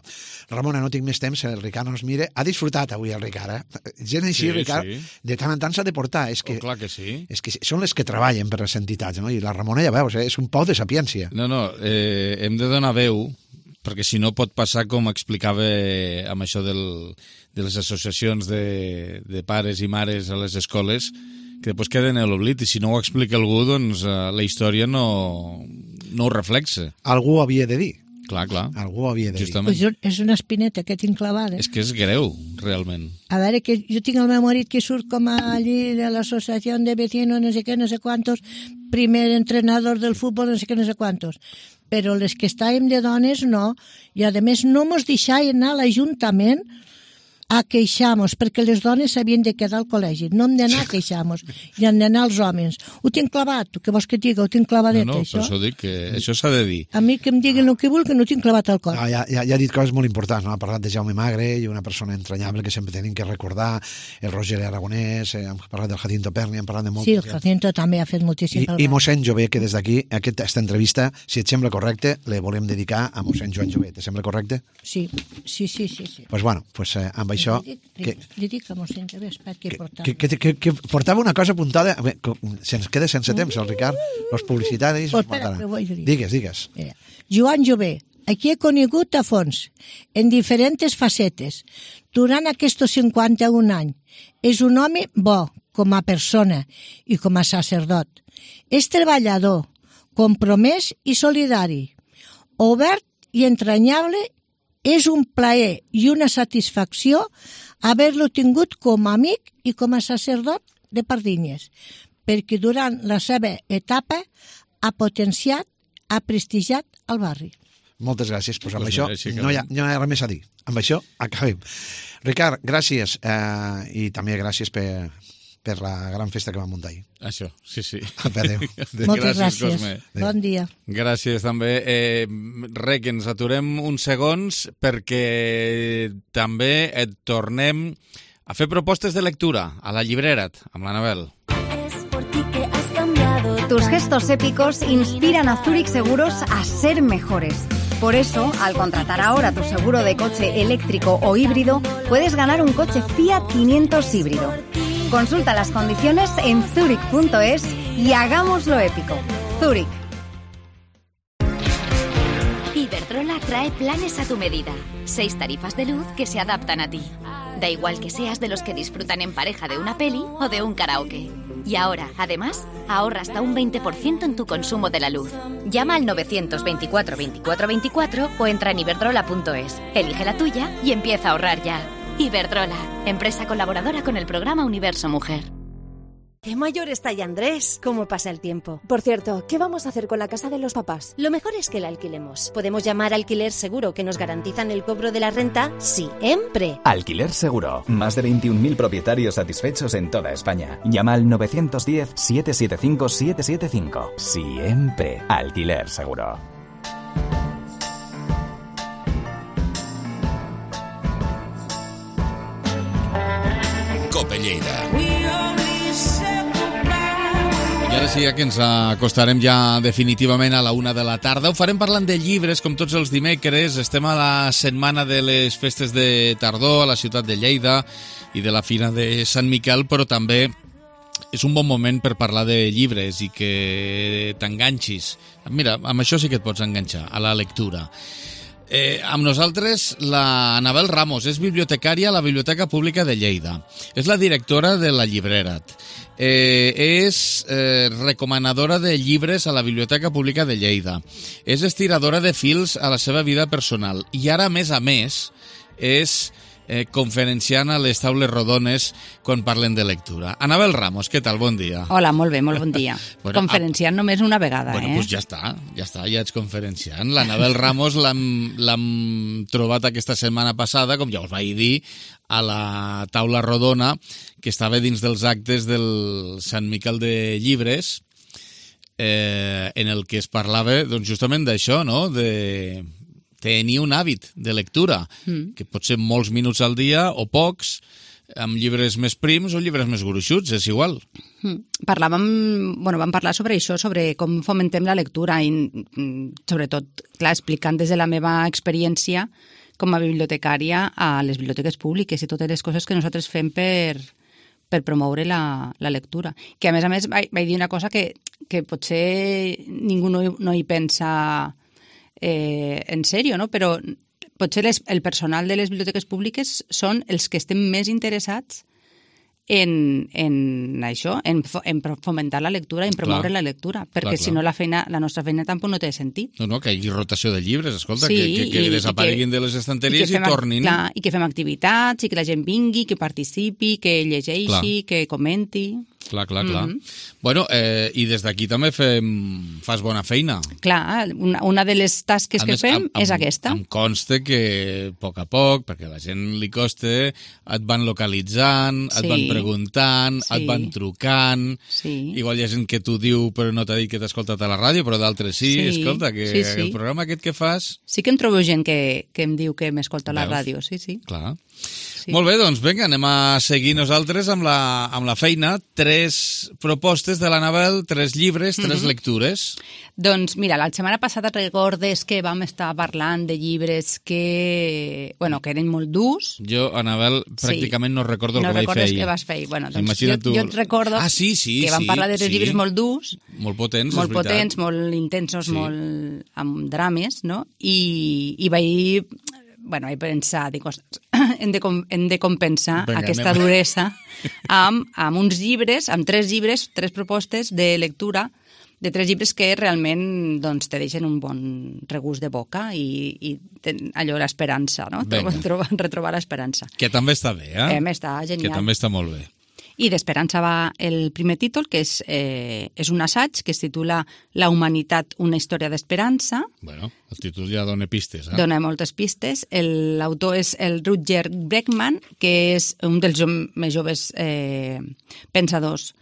Ramona, no tinc més temps, el Ricard no ens mira. Ha disfrutat avui el Ricard, eh? Gent així, sí, Ricard, sí. De tant en tant s'ha de portar. És que, oh, clar que sí. És que són les que treballen per les entitats, no? I la Ramona, ja veus, eh? És un pou de sapiència. No, no, eh, hem de donar veu, perquè si no pot passar com explicava amb això del, de les associacions de, de pares i mares a les escoles, que després queden a l'oblit, i si no ho explica algú, doncs la història no, no ho reflexa. Algú ho havia de dir. Clar, clar. Algú ho havia de Justament. dir. Pues és una espineta que tinc clavada. És que és greu, realment. A veure, que jo tinc el meu marit que surt com allí de l'associació de vecinos, no sé què, no sé quantos, primer entrenador del futbol, no sé què, no sé quantos. Però les que estàvem de dones, no. I, a més, no mos deixaven anar a l'Ajuntament a queixar-nos, perquè les dones s'havien de quedar al col·legi. No hem d'anar a queixar-nos, i han d'anar els homes. Ho tinc clavat, què vols que et diga? Ho tinc clavadet, no, no, això. No, per això dic que això s'ha de dir. A mi que em diguin el que vulguin, ho tinc clavat al cor. Ah, ja, ja, ja ha dit coses molt importants, no? Ha parlat de Jaume Magre, i una persona entranyable que sempre tenim que recordar, el Roger Aragonès, eh, hem parlat del Jacinto Perni, hem parlat de molt... Sí, el Jacinto també ha fet moltíssim. I, i mossèn Jové, que des d'aquí, aquesta entrevista, si et sembla correcte, le volem dedicar a mossèn Joan Jové. Te sembla correcte? Sí, sí, sí. sí, sí. Pues bueno, pues, eh, amb això... Li dic, que, li dic a mossèn Jové, espera, que portava. Que, que, que, que portava una cosa apuntada... Se'ns queda sense temps, el Ricard. Los publicitaris... Pues espera, que vull dir. Digues, digues. Mira, Joan Jové, aquí he conegut a fons, en diferents facetes, durant aquests cinquanta-un anys. És un home bo, com a persona i com a sacerdot. És treballador, compromès i solidari, obert i entranyable. És un plaer i una satisfacció haver-lo tingut com a amic i com a sacerdot de Pardinyes, perquè durant la seva etapa ha potenciat, ha prestigiat el barri. Moltes gràcies. Pues amb pues això sí, no hi, ha, no hi ha res més a dir. Amb això acabem. Ricard, gràcies, eh, i també gràcies per, per la gran festa que vam muntar ahir. Això, sí, sí. Adéu. Moltes gràcies. Cosme. Bon dia. Gràcies també. Eh, re, que ens aturem uns segons perquè també et tornem a fer propostes de lectura a la llibrera't amb l'Anabel. Tus gestos épicos inspiran a Zurich Seguros a ser mejores. Por eso, al contratar ahora tu seguro de coche eléctrico o híbrido, puedes ganar un coche Fiat quinientos híbrido. Consulta las condiciones en zurich punto es y hagámoslo épico. Zurich. Iberdrola trae planes a tu medida. Seis tarifas de luz que se adaptan a ti. Da igual que seas de los que disfrutan en pareja de una peli o de un karaoke. Y ahora, además, ahorra hasta un veinte por ciento en tu consumo de la luz. Llama al novecientos veinticuatro veinticuatro veinticuatro o entra en iberdrola punto es. Elige la tuya y empieza a ahorrar ya. Iberdrola, empresa colaboradora con el programa Universo Mujer. ¡Qué mayor está ya Andrés! ¿Cómo pasa el tiempo? Por cierto, ¿qué vamos a hacer con la casa de los papás? Lo mejor es que la alquilemos. Podemos llamar Alquiler Seguro, que nos garantizan el cobro de la renta siempre. Alquiler Seguro. Más de veintiún mil propietarios satisfechos en toda España. Llama al nueve uno cero, siete siete cinco, siete siete cinco. Siempre. Alquiler Seguro. Cope Lleida. I ara sí que ens acostarem ja definitivament a la una de la tarda. Ho farem parlant de llibres, com tots els dimecres. Estem a la setmana de les festes de tardor a la ciutat de Lleida i de la Fira de Sant Miquel, però també és un bon moment per parlar de llibres i que t'enganxis. Mira, amb això sí que et pots enganxar, a la lectura. Eh, amb nosaltres la Anabel Ramos, és bibliotecària a la Biblioteca Pública de Lleida. És la directora de la Llibrera't. Eh, és eh, recomanadora de llibres a la Biblioteca Pública de Lleida. És estiradora de fils a la seva vida personal. I ara, a més a més, és eh, conferenciant a les taules rodones quan parlen de lectura. Anabel Ramos, què tal? Bon dia. Hola, molt bé, molt bon dia. Bueno, conferenciant a... només una vegada, bueno, eh? Doncs pues ja està, ja està, ja ets conferenciant. L'Anabel Ramos l'hem trobat aquesta setmana passada, com ja us vaig dir, a la taula rodona que estava dins dels actes del Sant Miquel de Llibres, eh, en el que es parlava doncs, justament d'això, no?, de tenir un hàbit de lectura, mm. que pot ser molts minuts al dia o pocs, amb llibres més prims o llibres més gruixuts, és igual. Mm. Parlàvem, bueno, vam parlar sobre això, sobre com fomentem la lectura i sobretot, clar, explicant des de la meva experiència com a bibliotecària a les biblioteques públiques i totes les coses que nosaltres fem per, per promoure la, la lectura. Que a més a més vaig, vaig dir una cosa que, que potser ningú no, no hi pensa eh, en sèrio, no? Però potser les, el personal de les biblioteques públiques són els que estem més interessats en, en això, en, en fomentar la lectura, en promoure clar, la lectura, perquè clar, si clar. no la feina, la nostra feina tampoc no té sentit. No, no, que hi hagi rotació de llibres, escolta, sí, que, que, que desapareguin que, de les estanteries i, i tornin. Clar, i que fem activitats, i que la gent vingui, que participi, que llegeixi, clar. que comenti. Clar, clar, clar. Mhm. Bueno, eh, i des d'aquí també fem, fas bona feina. Clar, una, una de les tasques A que més, fem em- em- és aquesta. Em consta que a poc a poc, perquè a la gent li costa, et van localitzant, et Sí. van preguntant, Sí. et van trucant. Sí. Igual hi ha gent que t'ho diu però no t'ha dit que t'ha escoltat a la ràdio, però d'altres sí. Sí, Escolta, que sí, sí. el programa aquest que fas... Sí que em trobo gent que, que em diu que m'escolta a la Veus? ràdio, sí, sí. Clar. Sí. Molt bé, doncs vinga, anem a seguir nosaltres amb la, amb la feina. Tres propostes de l'Anabel, tres llibres, tres Mhm. lectures. Doncs mira, la setmana passada recordes que vam estar parlant de llibres que, bueno, que eren molt durs. Jo, Anabel, pràcticament no recordo el no que vaig fer recordes ahir. què vas fer ahir. Bueno, doncs Imagina't jo, tu- jo et recordo Ah, sí, sí, que vam sí, parlar de tres sí. llibres molt durs, Molt potents, molt és veritat. potents, molt intensos, Sí. molt amb drames, no? I, i vaig, bueno, vaig pensar, dic, ostres, hem de, com, hem de compensar Vinga, aquesta anem. duresa amb, amb uns llibres, amb tres llibres, tres propostes de lectura de tres llibres que realment doncs, te deixen un bon regust de boca i, i ten, allò l'esperança, no? Vinga. Trobar, retrobar l'esperança. Que també està bé, eh? Em, està genial. Que també està molt bé. I d'Esperança va el primer títol, que és, eh, és un assaig que es titula La humanitat, una història d'esperança. Bueno, el títol ja dona pistes, eh? Dona moltes pistes. El- L'autor és el Rutger Bregman, que és un dels jo- més joves eh, pensadors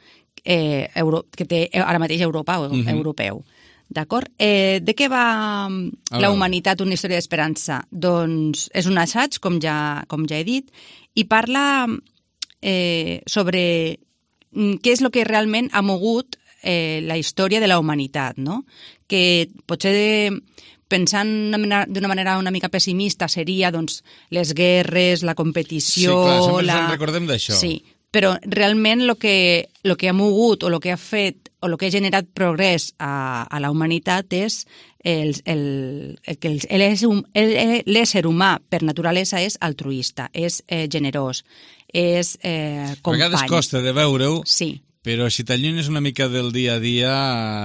eh, euro, que té ara mateix Europa o Mhm. europeu. D'acord? Eh, de què va A La veure. humanitat, una història d'esperança? Doncs és un assaig, com ja, com ja he dit, i parla eh, sobre mm, què és el que realment ha mogut eh, la història de la humanitat, no? Que potser pensant d'una manera- d'una manera una mica pessimista seria doncs, les guerres, la competició... Sí, clar, sempre la... ens en recordem d'això. Sí, però realment el que, lo que ha mogut o el que ha fet o el que ha generat progrés a, a la humanitat és el, el, el que el- l'ésser hum- el- l'ésser humà per naturalesa és altruista, és eh, generós, és eh, A company. vegades costa de veure-ho, sí. però si t'allunyes una mica del dia a dia,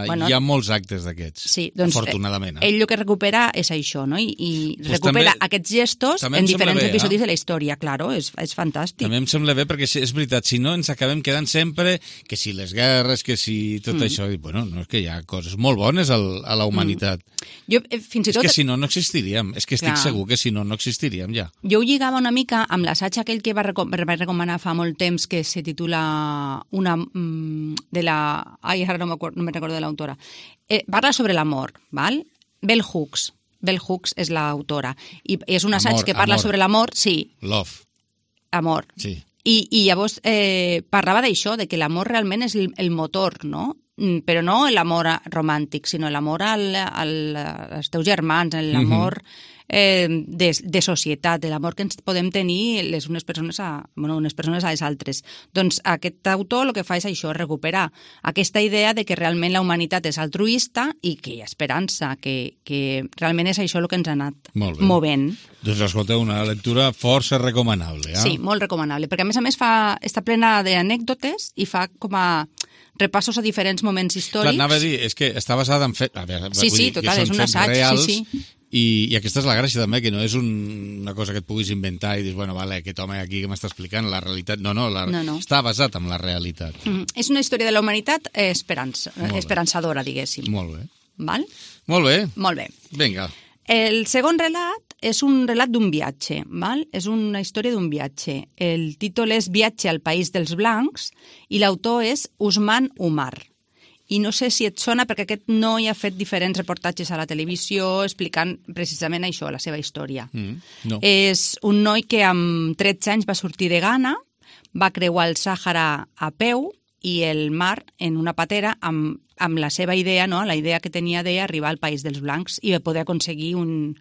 Bueno, hi ha molts actes d'aquests, Sí, doncs, afortunadament. eh, ell el que recupera és això, no? I, i Pues recupera també- aquests gestos també en em sembla diferents bé, eh? episodis de la història, claro, és, és fantàstic. També em sembla bé, perquè sí, és veritat, si no ens acabem quedant sempre que si les guerres, que si tot Mm. això, i, bueno, no, és que hi ha coses molt bones al, a la humanitat. Jo, eh, fins i És tot, que si no, no existiríem. És que estic Clar. segur que si no, no existiríem ja. jo ho lligava una mica amb l'assaig aquell que va, reco va recomanar fa molt temps, que se titula una, mm, de la... Ai, ara no, no me recordo de l'autora. Eh, parla sobre l'amor, val? Bell Hooks. Bell Hooks és l'autora. I és un assaig Amor, que parla amor. sobre l'amor, sí, Love, amor. sí. I, i llavors eh, parlava d'això, de que l'amor realment és el, el motor, no? Mm, Però no l'amor a- romàntic, sinó l'amor al, al, als teus germans, l'amor eh, de, de societat, l'amor que ens podem tenir les unes persones a, bueno, unes persones a les altres. Doncs aquest autor el que fa és això, recuperar aquesta idea de que realment la humanitat és altruista i que hi ha esperança, que, que realment és això el que ens ha anat Molt bé. movent. Doncs escolteu, una lectura força recomanable, eh? Sí, molt recomanable, perquè a més a més fa, està plena d'anècdotes i fa com a repassos a diferents moments Clar, històrics. anava a dir, és que està basada en fets... A veure, Sí, vull sí, dir, que total, són és un fets assaig, sí, reals, sí. I, I aquesta és la gràcia també, que no és un, una cosa que et puguis inventar i dius, bueno, vale, aquest home aquí que m'està explicant la realitat... No, no, la, No, no. està basat en la realitat. Mm, és una història de la humanitat eh, esperança, Molt bé. esperançadora, diguéssim. Molt bé. Val? Molt bé. Molt bé. Vinga. El segon relat és un relat d'un viatge, val? És una història d'un viatge. El títol és Viatge al País dels Blancs i l'autor és Usman Umar. I no sé si et sona perquè aquest noi ha fet diferents reportatges a la televisió explicant precisament això, la seva història. Mm, no. És un noi que amb tretze anys va sortir de Ghana, va creuar el Sàhara a peu i el mar en una patera amb, amb la seva idea, no? La idea que tenia d'arribar al País dels Blancs i de poder aconseguir un,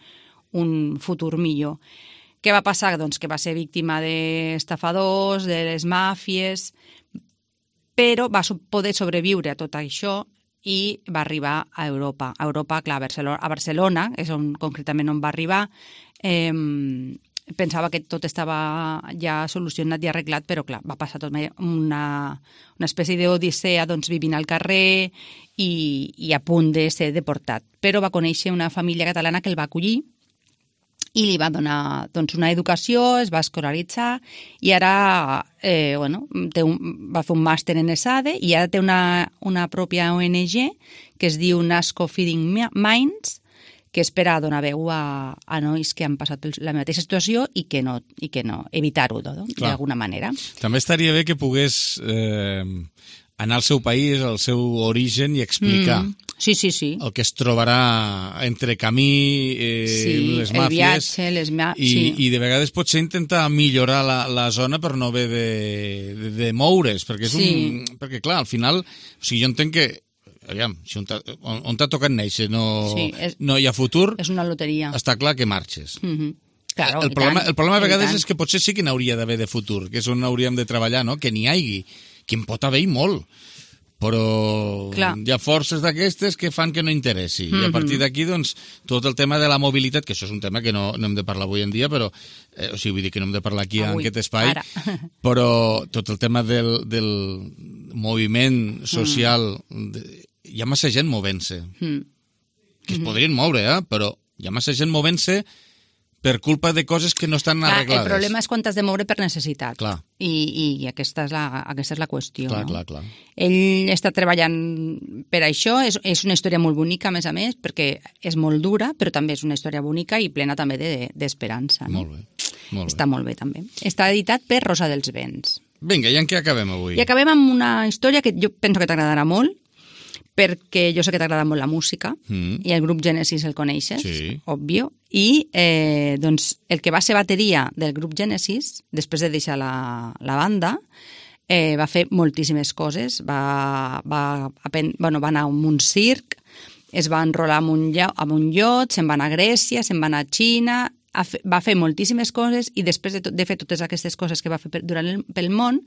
un futur millor. Què va passar? Doncs que va ser víctima d'estafadors, de les màfies, però va so- poder sobreviure a tot això i va arribar a Europa. A Europa, clar, a Barcelona, a Barcelona és on, concretament on va arribar. Eh, pensava que tot estava ja solucionat i arreglat, però clar, va passar tot una, una espècie d'odissea, doncs vivint al carrer i, i a punt de ser deportat. Però va conèixer una família catalana que el va acollir i li va donar doncs, una educació, es va escolaritzar i ara eh, bueno, té un, va fer un màster en ESADE i ara té una, una pròpia O N G que es diu Nasco Feeding Minds, que és per a donar veu a, a nois que han passat la mateixa situació i que no, i que no evitar-ho no? d'alguna manera. També estaria bé que pogués eh, anar al seu país, al seu origen i explicar mm. Sí, sí, sí. el que es trobarà entre camí, eh, sí, les màfies, el viatge, les ma... i, sí. i de vegades potser intentar millorar la, la zona per no haver de, de, de moure's, perquè, és sí. un, perquè clar, al final, o sigui, jo entenc que aviam, si on t'ha, on, on t'ha tocat néixer no, sí, és, no hi ha futur, és una loteria. Està clar que marxes. Mm-hmm. Claro, el, problema, tant, el problema a vegades és que potser sí que n'hauria d'haver de futur, que és on hauríem de treballar, no? Que n'hi hagi, que en pot haver molt, però clar. Hi ha forces d'aquestes que fan que no interessi. Mm-hmm. I a partir d'aquí, doncs, tot el tema de la mobilitat, que això és un tema que no, no hem de parlar avui en dia, però, eh, o sigui, vull dir que no hem de parlar aquí avui, en aquest espai, ara. Però tot el tema del, del moviment social, mm. de, hi ha massa gent movent-se, mm. que es podrien moure, eh? Però hi ha massa gent movent-se per culpa de coses que no estan clar, arreglades. El problema és quan t'has de moure per necessitat. Clar. I, i, i aquesta, és la, aquesta és la qüestió. Clar, no? clar, clar. Ell està treballant per això, és, és una història molt bonica, a més a més, perquè és molt dura, però també és una història bonica i plena també d'esperança. De, no? Molt bé. Molt està bé. molt bé, també. Està editat per Rosa dels Vents. Vinga, i en què acabem avui? I acabem amb una història que jo penso que t'agradarà molt, perquè jo sé que t'agrada molt la música, mm. i el grup Genesis el coneixes, sí. Òbvio, i eh, doncs, el que va ser bateria del grup Genesis, després de deixar la, la banda, eh, va fer moltíssimes coses, va, va, apen, bueno, va anar a un circ, es va enrolar amb un, amb un iot, se'n va anar a Grècia, se'n va anar a Xina, va fer moltíssimes coses i després de, tot, de fer totes aquestes coses que va fer per, durant el, pel món,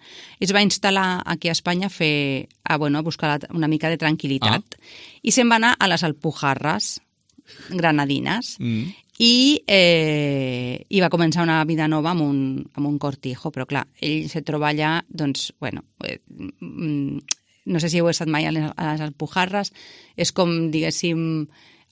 es va instal·lar aquí a Espanya a, fer, a, bueno, a buscar una mica de tranquil·litat. Ah. I se'n va anar a les Alpujarras granadines mm. i, eh, i va començar una vida nova amb un, amb un cortijo, però clar, ell se troba allà, doncs, bueno... Eh, no sé si heu estat mai a les, a les Alpujarras, és com, diguéssim,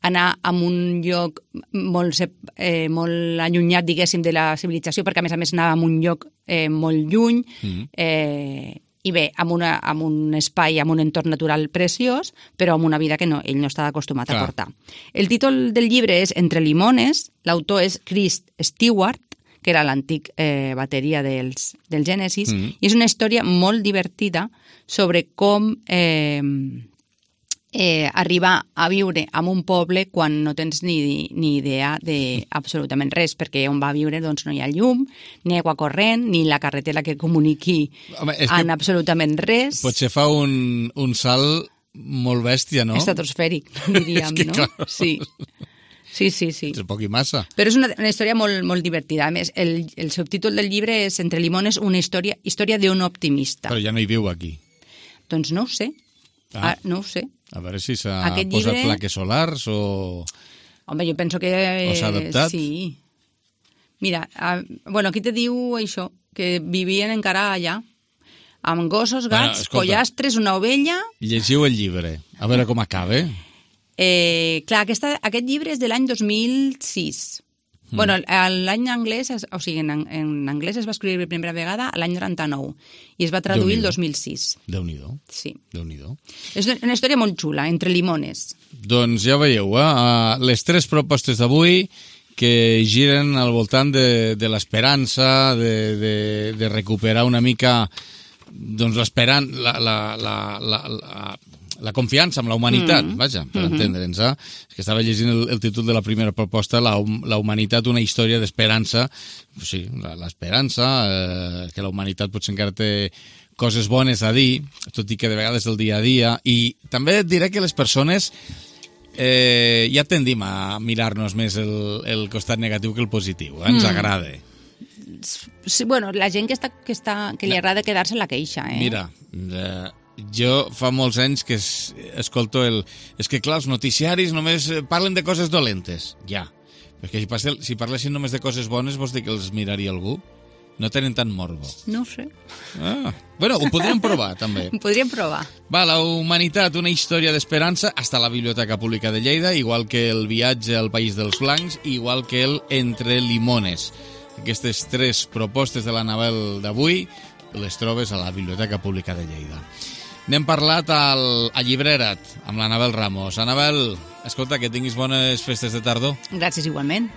anar a un lloc molt, eh, molt allunyat, diguéssim, de la civilització, perquè a més a més anava a un lloc eh, molt lluny, mm. eh, i bé, amb, una, amb un espai, amb un entorn natural preciós, però amb una vida que no, ell no estava acostumat Clar. a portar. El títol del llibre és Entre limones, l'autor és Chris Stewart, que era l'antic eh, bateria dels, del Genesis, mm. i és una història molt divertida sobre com... Eh, Eh, arribar a viure en un poble quan no tens ni, ni idea de absolutament res, perquè on va viure doncs, no hi ha llum, ni aigua corrent, ni la carretera que comuniqui Home, en absolutament res. Potser fa un, un salt molt bèstia, no? Estratosfèric, diríem, que, no? Clar. Sí. Sí, sí, sí. És poc i massa. Però és una, una història molt, molt divertida. A més, el, el subtítol del llibre és Entre limones, una història, història d'un optimista. Però ja no hi viu aquí. Doncs no ho sé. Ah. Ah, no ho sé. A veure si s'ha posat llibre... plaques solars o... Home, jo penso que... O s'ha adaptat? Sí. Mira, a... bueno, aquí te diu això, que vivien encara allà, amb gossos, gats, bueno, pollastres, una ovella... Llegiu el llibre, a veure com acaba. Eh, clar, aquesta, aquest llibre és de l'any dos mil sis. Mm. Bueno, l'any anglès, o sigui, en, en anglès es va escriure per primera vegada l'any noranta-nou i es va traduir el dos mil sis. Déu-n'hi-do. Sí. Déu-n'hi-do. És una història molt xula, Entre limones. Doncs ja veieu, eh? Les tres propostes d'avui que giren al voltant de, de l'esperança, de, de, de recuperar una mica doncs l'esperança, la, la, la, la, la, la confiança amb la humanitat, mm. vaja, per mm-hmm. entendre'ns. Eh? És que estava llegint el, el títol de la primera proposta, la, la humanitat, una història d'esperança. Sí, l'esperança, eh, que la humanitat potser encara té coses bones a dir, tot i que de vegades el dia a dia. I també et diré que les persones eh, ja tendim a mirar-nos més el, el costat negatiu que el positiu. Eh? Ens mm. agrada. Sí, bueno, la gent que, està, que, està, que li agrada quedar-se en la queixa. Eh? Mira, eh, jo fa molts anys que es, escolto el... És que, clar, els noticiaris només parlen de coses dolentes. Ja. Perquè si, passel, si parlessin només de coses bones, vols dir que els miraria algú? No tenen tant morbo. No ho sé. Ah. Bueno, ho podríem provar, també. Ho podríem provar. Va, la humanitat, una història d'esperança, hasta la Biblioteca Pública de Lleida, igual que el viatge al País dels Blancs, igual que el Entre Limones. Aquestes tres propostes de l'Anabel d'avui les trobes a la Biblioteca Pública de Lleida. N'hem parlat al, a Llibrera't, amb l'Anabel Ramos. Anabel, escolta, que tinguis bones festes de tardor. Gràcies, igualment.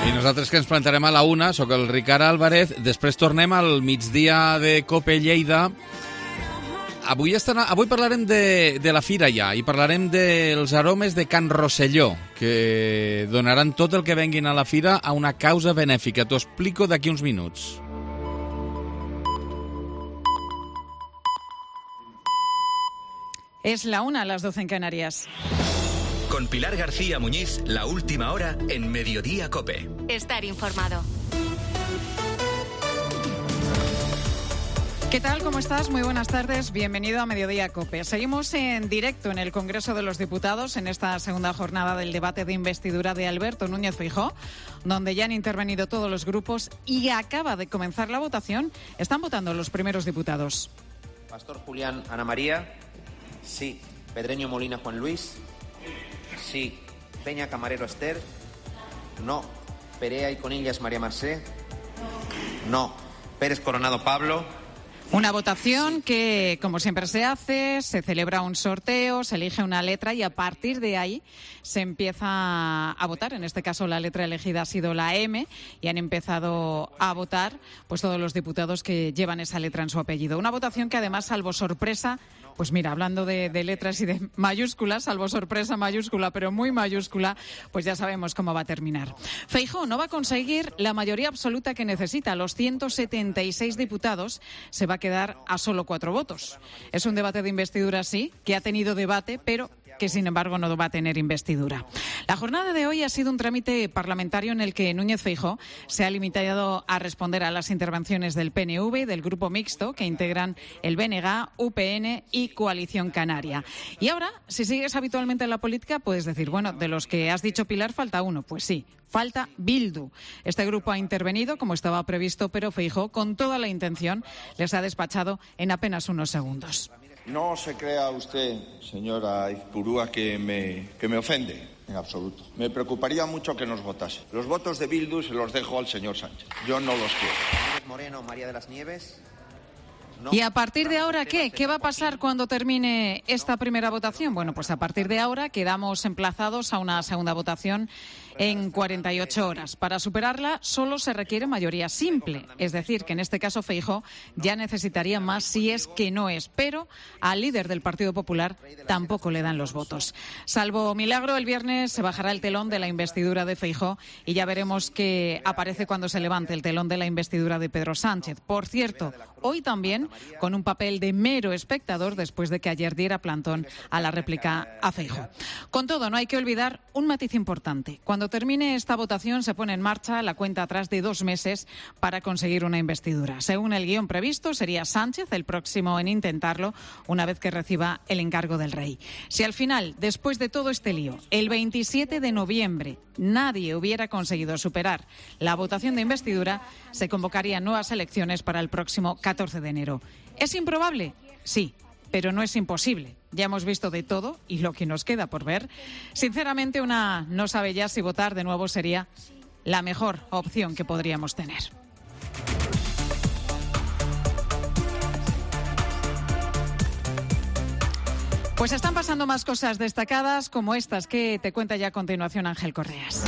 I nosaltres que ens plantarem a la una, sóc el Ricard Álvarez, després tornem al migdia de Cope Lleida. Avui, estarà, avui parlarem de, de la fira ja, i parlarem dels aromes de Can Rosselló, que donaran tot el que venguin a la fira a una causa benèfica. T'ho explico d'aquí uns minuts. Es la una a las doce en Canarias. Con Pilar García Muñiz, la última hora en Mediodía Cope. Estar informado. ¿Qué tal? ¿Cómo estás? Muy buenas tardes. Bienvenido a Mediodía Cope. Seguimos en directo en el Congreso de los Diputados en esta segunda jornada del debate de investidura de Alberto Núñez Feijóo, donde ya han intervenido todos los grupos y acaba de comenzar la votación. Están votando los primeros diputados. Pastor Julián Ana María. Sí. Pedreño Molina Juan Luis. Sí. Peña Camarero Esther. No. Perea y Conillas María Marcé. No. Pérez Coronado Pablo. Una votación que, como siempre se hace, se celebra un sorteo, se elige una letra y a partir de ahí se empieza a votar. En este caso la letra elegida ha sido la M y han empezado a votar pues todos los diputados que llevan esa letra en su apellido. Una votación que además, salvo sorpresa, pues mira, hablando de, de letras y de mayúsculas, salvo sorpresa mayúscula, pero muy mayúscula, pues ya sabemos cómo va a terminar. Feijóo no va a conseguir la mayoría absoluta que necesita. Los ciento setenta y seis diputados se va a quedar a solo cuatro votos. Es un debate de investidura, sí, que ha tenido debate, pero que sin embargo no va a tener investidura. La jornada de hoy ha sido un trámite parlamentario en el que Núñez Feijóo se ha limitado a responder a las intervenciones del P N V y del grupo mixto que integran el B N G, U P N y Coalición Canaria. Y ahora, si sigues habitualmente en la política, puedes decir, bueno, de los que has dicho, Pilar, falta uno. Pues sí, falta Bildu. Este grupo ha intervenido como estaba previsto, pero Feijóo, con toda la intención, les ha despachado en apenas unos segundos. No se crea usted, señora Izpurúa, que me, que me ofende, en absoluto. Me preocuparía mucho que nos votase. Los votos de Bildu se los dejo al señor Sánchez. Yo no los quiero. Moreno, María de las Nieves. No. ¿Y a partir de ahora qué? ¿Qué va a pasar cuando termine esta primera votación? Bueno, pues a partir de ahora quedamos emplazados a una segunda votación en cuarenta y ocho horas. Para superarla solo se requiere mayoría simple, es decir, que en este caso Feijóo ya necesitaría más si es que no es, pero al líder del Partido Popular tampoco le dan los votos. Salvo milagro, el viernes se bajará el telón de la investidura de Feijóo y ya veremos qué aparece cuando se levante el telón de la investidura de Pedro Sánchez. Por cierto, hoy también con un papel de mero espectador después de que ayer diera plantón a la réplica a Feijóo. Con todo, no hay que olvidar un matiz importante. Cuando termine esta votación se pone en marcha la cuenta atrás de dos meses para conseguir una investidura. Según el guión previsto, sería Sánchez el próximo en intentarlo una vez que reciba el encargo del rey. Si al final, después de todo este lío, el veintisiete de noviembre nadie hubiera conseguido superar la votación de investidura, se convocarían nuevas elecciones para el próximo catorce de enero. ¿Es improbable? Sí, pero no es imposible. Ya hemos visto de todo y lo que nos queda por ver. Sinceramente, una no sabe ya si votar de nuevo sería la mejor opción que podríamos tener. Pues están pasando más cosas destacadas como estas que te cuenta ya a continuación Ángel Correas.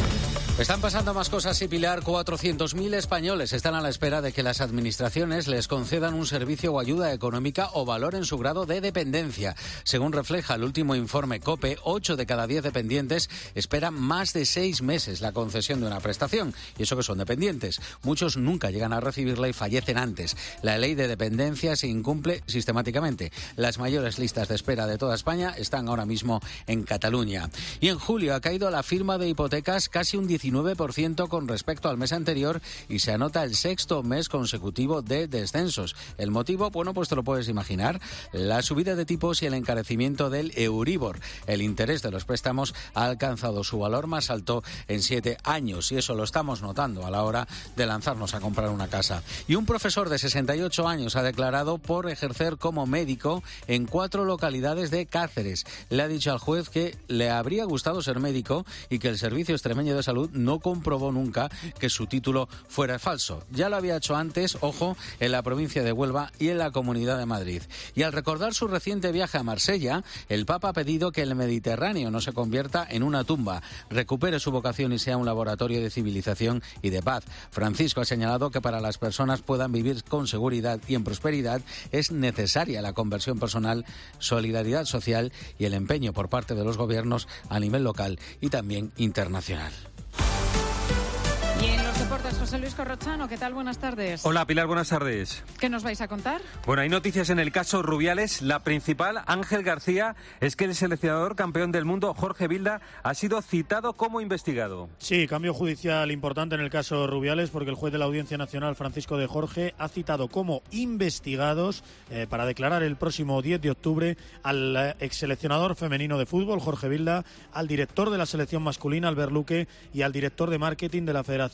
Están pasando más cosas, sí, Pilar. cuatrocientos mil españoles están a la espera de que las administraciones les concedan un servicio o ayuda económica o valoren su grado de dependencia. Según refleja el último informe COPE, ocho de cada diez dependientes esperan más de seis meses la concesión de una prestación. Y eso que son dependientes. Muchos nunca llegan a recibirla y fallecen antes. La ley de dependencia se incumple sistemáticamente. Las mayores listas de espera de toda España están ahora mismo en Cataluña. Y en julio ha caído la firma de hipotecas casi un diecisiete diecinueve por ciento con respecto al mes anterior y se anota el sexto mes consecutivo de descensos. ¿El motivo? Bueno, pues te lo puedes imaginar. La subida de tipos y el encarecimiento del Euribor. El interés de los préstamos ha alcanzado su valor más alto en siete años y eso lo estamos notando a la hora de lanzarnos a comprar una casa. Y un profesor de sesenta y ocho años ha declarado por ejercer como médico en cuatro localidades de Cáceres. Le ha dicho al juez que le habría gustado ser médico y que el Servicio Extremeño de Salud no comprobó nunca que su título fuera falso. Ya lo había hecho antes, ojo, en la provincia de Huelva y en la Comunidad de Madrid. Y al recordar su reciente viaje a Marsella, el Papa ha pedido que el Mediterráneo no se convierta en una tumba, recupere su vocación y sea un laboratorio de civilización y de paz. Francisco ha señalado que para las personas puedan vivir con seguridad y en prosperidad es necesaria la conversión personal, solidaridad social y el empeño por parte de los gobiernos a nivel local y también internacional. Y en los deportes, José Luis Corrochano, ¿qué tal? Buenas tardes. Hola, Pilar, buenas tardes. ¿Qué nos vais a contar? Bueno, hay noticias en el caso Rubiales. La principal, Ángel García, es que el seleccionador campeón del mundo, Jorge Vilda, ha sido citado como investigado. Sí, cambio judicial importante en el caso Rubiales, porque el juez de la Audiencia Nacional, Francisco de Jorge, ha citado como investigados eh, para declarar el próximo diez de octubre al eh, exseleccionador femenino de fútbol, Jorge Vilda, al director de la selección masculina, Albert Luque, y al director de marketing de la Federación,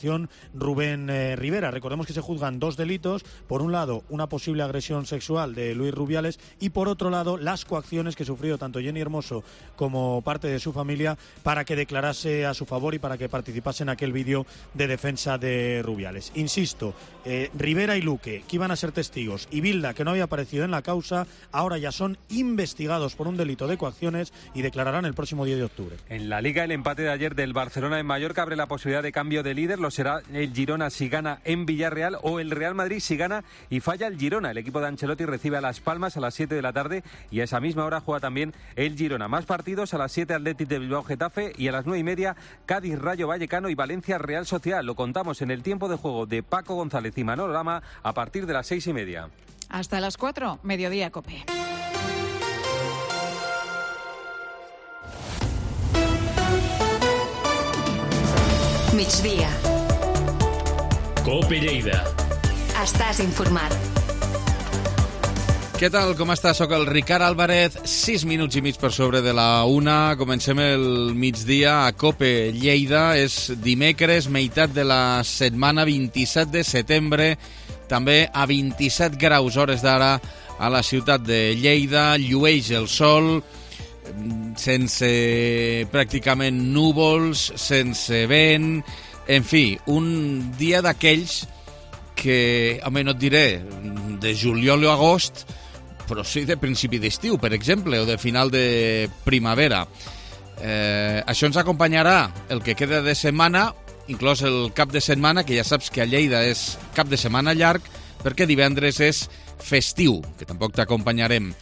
Rubén eh, Rivera. Recordemos que se juzgan dos delitos. Por un lado, una posible agresión sexual de Luis Rubiales y por otro lado, las coacciones que sufrió tanto Jenny Hermoso como parte de su familia para que declarase a su favor y para que participase en aquel vídeo de defensa de Rubiales. Insisto, eh, Rivera y Luque, que iban a ser testigos, y Vilda, que no había aparecido en la causa, ahora ya son investigados por un delito de coacciones y declararán el próximo diez de octubre. En la Liga, el empate de ayer del Barcelona en Mallorca abre la posibilidad de cambio de líder. Lo será el Girona si gana en Villarreal o el Real Madrid si gana y falla el Girona. El equipo de Ancelotti recibe a Las Palmas a las siete de la tarde y a esa misma hora juega también el Girona. Más partidos: a las siete Athletic de Bilbao Getafe y a las nueve y media Cádiz Rayo Vallecano y Valencia Real Sociedad. Lo contamos en el tiempo de juego de Paco González y Manolo Lama a partir de las seis y media. Hasta las cuatro, Mediodía Cope. Migdia. Cope Lleida. Estàs informat. Què tal, com estàs? Soc el Ricard Álvarez, sis minuts i mig per sobre de la una. Comencem el migdia a Cope Lleida. És dimecres, meitat de la setmana, vint-i-set de setembre. També a vint-i-set graus hores d'ara a la ciutat de Lleida. Llueix el sol, sense pràcticament núvols, sense vent, en fi, un dia d'aquells que, home, no et diré de juliol o agost, però sí de principi d'estiu, per exemple, o de final de primavera. Eh, això ens acompanyarà el que queda de setmana, inclòs el cap de setmana, que ja saps que a Lleida és cap de setmana llarg, perquè divendres és festiu, que tampoc t'acompanyarem,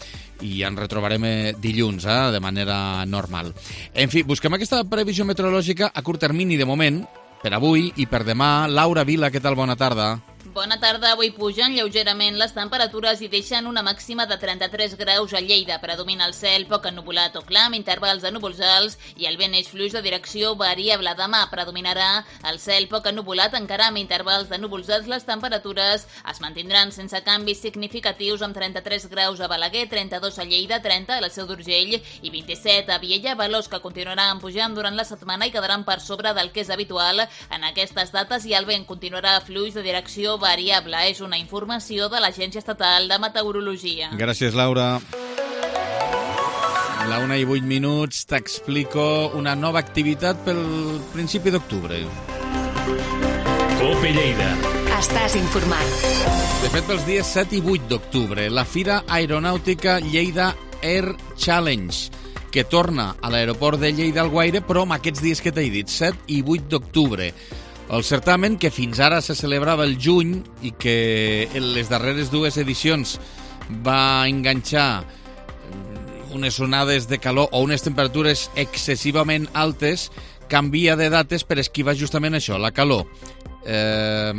i ens retrobarem dilluns, eh, de manera normal. En fi, busquem aquesta previsió meteorològica a curt termini de moment, per avui i per demà. Laura Vila, què tal? Bona tarda. Bona tarda. Avui pugen lleugerament les temperatures i deixen una màxima de trenta-tres graus a Lleida. Predomina el cel poc ennuvolat o clar, amb intervals de núvols alts i el vent eix fluix de direcció variable. Demà predominarà el cel poc ennuvolat, encara amb intervals de núvols alts. Les temperatures es mantindran sense canvis significatius, amb trenta-tres graus a Balaguer, trenta-dos a Lleida, trenta a la Seu d'Urgell i vint-i-set a Viella, valors que continuaran pujant durant la setmana i quedaran per sobre del que és habitual en aquestes dates, i el vent continuarà fluix de direcció variable. És una informació de l'Agència Estatal de Meteorologia. Gràcies, Laura. A la una i vuit minuts t'explico una nova activitat pel principi d'octubre. Cope Lleida. Estàs informat. De fet, pels dies set i vuit d'octubre, la Fira Aeronàutica Lleida Air Challenge, que torna a l'aeroport de Lleida Alguaire, però amb aquests dies que t'he dit, set i vuit d'octubre. El certamen, que fins ara se celebrava el juny i que en les darreres dues edicions va enganxar unes onades de calor o unes temperatures excessivament altes, canvia de dates per esquivar justament això, la calor. Eh,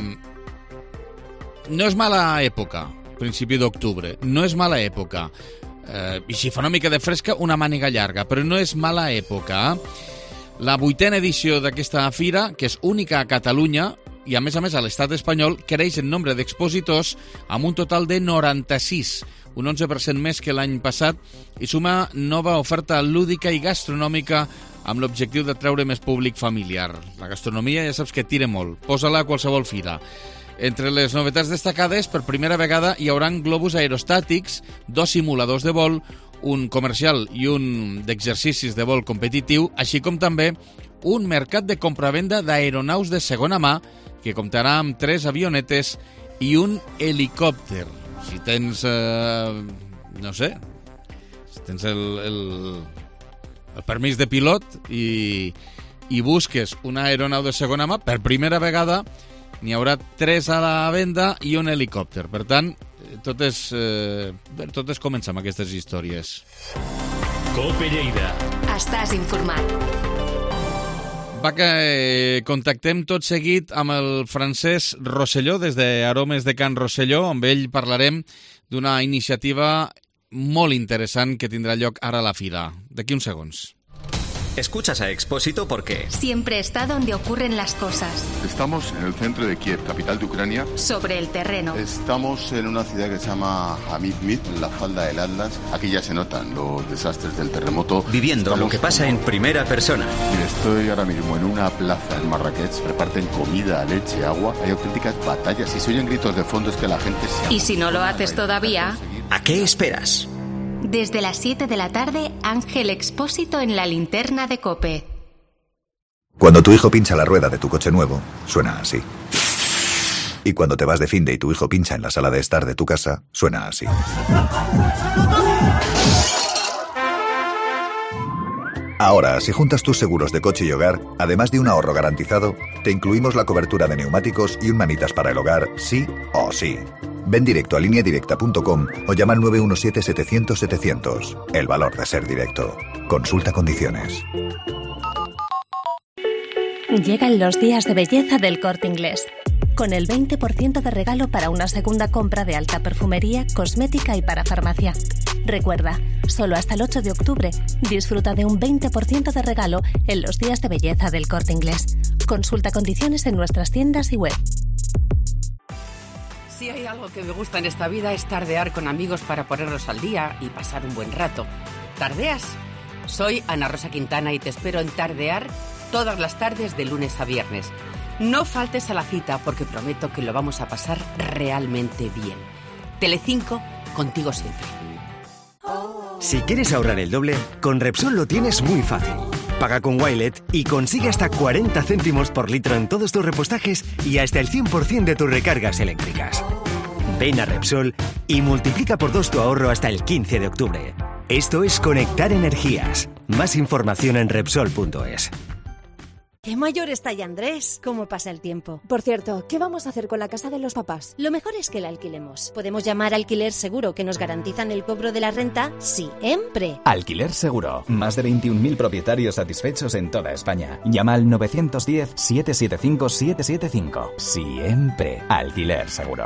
no és mala època, principi d'octubre, no és mala època. Eh, I si fa una mica de fresca, una màniga llarga, però no és mala època. La vuitena edició d'aquesta fira, que és única a Catalunya, i a més a més a l'estat espanyol, creix en nombre d'expositors amb un total de noranta-sis, un onze per cent més que l'any passat, i suma nova oferta lúdica i gastronòmica amb l'objectiu de treure més públic familiar. La gastronomia ja saps que tira molt, posa-la a qualsevol fira. Entre les novetats destacades, per primera vegada hi haurà globus aerostàtics, dos simuladors de vol, un comercial i un d'exercicis de vol competitiu, així com també un mercat de compravenda d'aeronaus de segona mà que comptarà amb tres avionetes i un helicòpter. Si tens, eh, no sé, si tens el, el, el permís de pilot i, i busques una aeronau de segona mà, per primera vegada n'hi haurà tres a la venda i un helicòpter. Per tant, tot és, eh, tot és començar amb aquestes històries. Cope Lleida. Estàs informat. Va que eh, contactem tot seguit amb el Francesc Rosselló des d'Aromes de Can Rosselló. Amb ell parlarem d'una iniciativa molt interessant que tindrà lloc ara a la fira. D'aquí uns segons. Escuchas a Expósito porque siempre está donde ocurren las cosas. Estamos en el centro de Kiev, capital de Ucrania. Sobre el terreno. Estamos en una ciudad que se llama Hamid-Mid, en la falda del Atlas. Aquí ya se notan los desastres del terremoto. Viviendo Estamos lo que pasa como... en primera persona. Mira, estoy ahora mismo en una plaza en Marrakech. Reparten comida, leche, agua. Hay auténticas batallas y se oyen gritos de fondo. Es que la gente se... Y si no lo haces todavía... ¿A qué esperas? Desde las siete de la tarde, Ángel Expósito en la linterna de COPE. Cuando tu hijo pincha la rueda de tu coche nuevo, suena así. Y cuando te vas de finde y tu hijo pincha en la sala de estar de tu casa, suena así. Ahora, si juntas tus seguros de coche y hogar, además de un ahorro garantizado, te incluimos la cobertura de neumáticos y un manitas para el hogar, sí o sí. Ven directo a línea directa punto com o llama al nueve uno siete setecientos setecientos. El valor de ser directo. Consulta condiciones. Llegan los días de belleza del Corte Inglés. Con el veinte por ciento de regalo para una segunda compra de alta perfumería, cosmética y para farmacia. Recuerda, solo hasta el ocho de octubre, disfruta de un veinte por ciento de regalo en los días de belleza del Corte Inglés. Consulta condiciones en nuestras tiendas y web. Si hay algo que me gusta en esta vida es tardear con amigos para ponernos al día y pasar un buen rato. ¿Tardeas? Soy Ana Rosa Quintana y te espero en Tardear todas las tardes de lunes a viernes. No faltes a la cita porque prometo que lo vamos a pasar realmente bien. Telecinco, contigo siempre. Si quieres ahorrar el doble, con Repsol lo tienes muy fácil. Paga con Wilet y consigue hasta cuarenta céntimos por litro en todos tus repostajes y hasta el cien por ciento de tus recargas eléctricas. Ven a Repsol y multiplica por dos tu ahorro hasta el quince de octubre. Esto es conectar energías. Más información en Repsol punto es. ¡Qué mayor está ya Andrés! ¿Cómo pasa el tiempo? Por cierto, ¿qué vamos a hacer con la casa de los papás? Lo mejor es que la alquilemos. Podemos llamar a Alquiler Seguro, que nos garantizan el cobro de la renta siempre. Alquiler Seguro. Más de veintiún mil propietarios satisfechos en toda España. Llama al nueve uno cero, siete siete cinco, siete siete cinco. Siempre. Alquiler Seguro.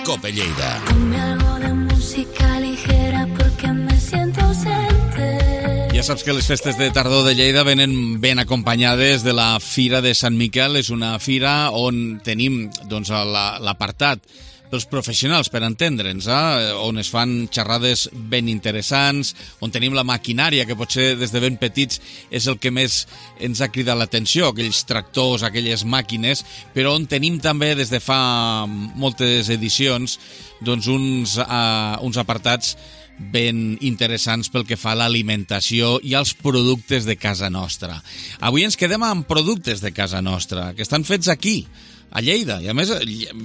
Cope Lleida. Ponme algo de música ligera porque me siento ausente. Ja saps que les festes de tardor de Lleida venen ben acompanyades de la Fira de Sant Miquel. És una fira on tenim doncs, l'apartat pels professionals, per entendre'ns, eh? On es fan xerrades ben interessants, on tenim la maquinària, que potser des de ben petits és el que més ens ha cridat l'atenció, aquells tractors, aquelles màquines, però on tenim també des de fa moltes edicions doncs uns, uh, uns apartats ben interessants pel que fa a l'alimentació i als productes de casa nostra. Avui ens quedem amb productes de casa nostra, que estan fets aquí, a Lleida, i a més,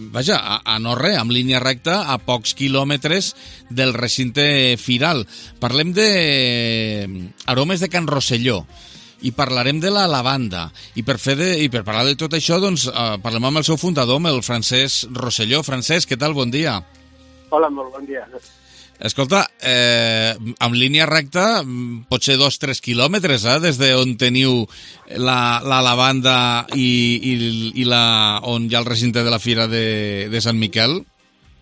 vaja, a, a no res, amb línia recta, a pocs quilòmetres del recinte firal. Parlem de Aromes de Can Rosselló i parlarem de la lavanda. I per, fer de, i per parlar de tot això, doncs, eh, parlem amb el seu fundador, amb el Francesc Rosselló. Francesc, què tal? Bon dia. Hola, molt bon dia. Escolta, eh, amb línia recta, potser dos o tres quilòmetres, eh, des d'on teniu la, la lavanda i, i, i la, on hi ha el recinte de la Fira de, de Sant Miquel?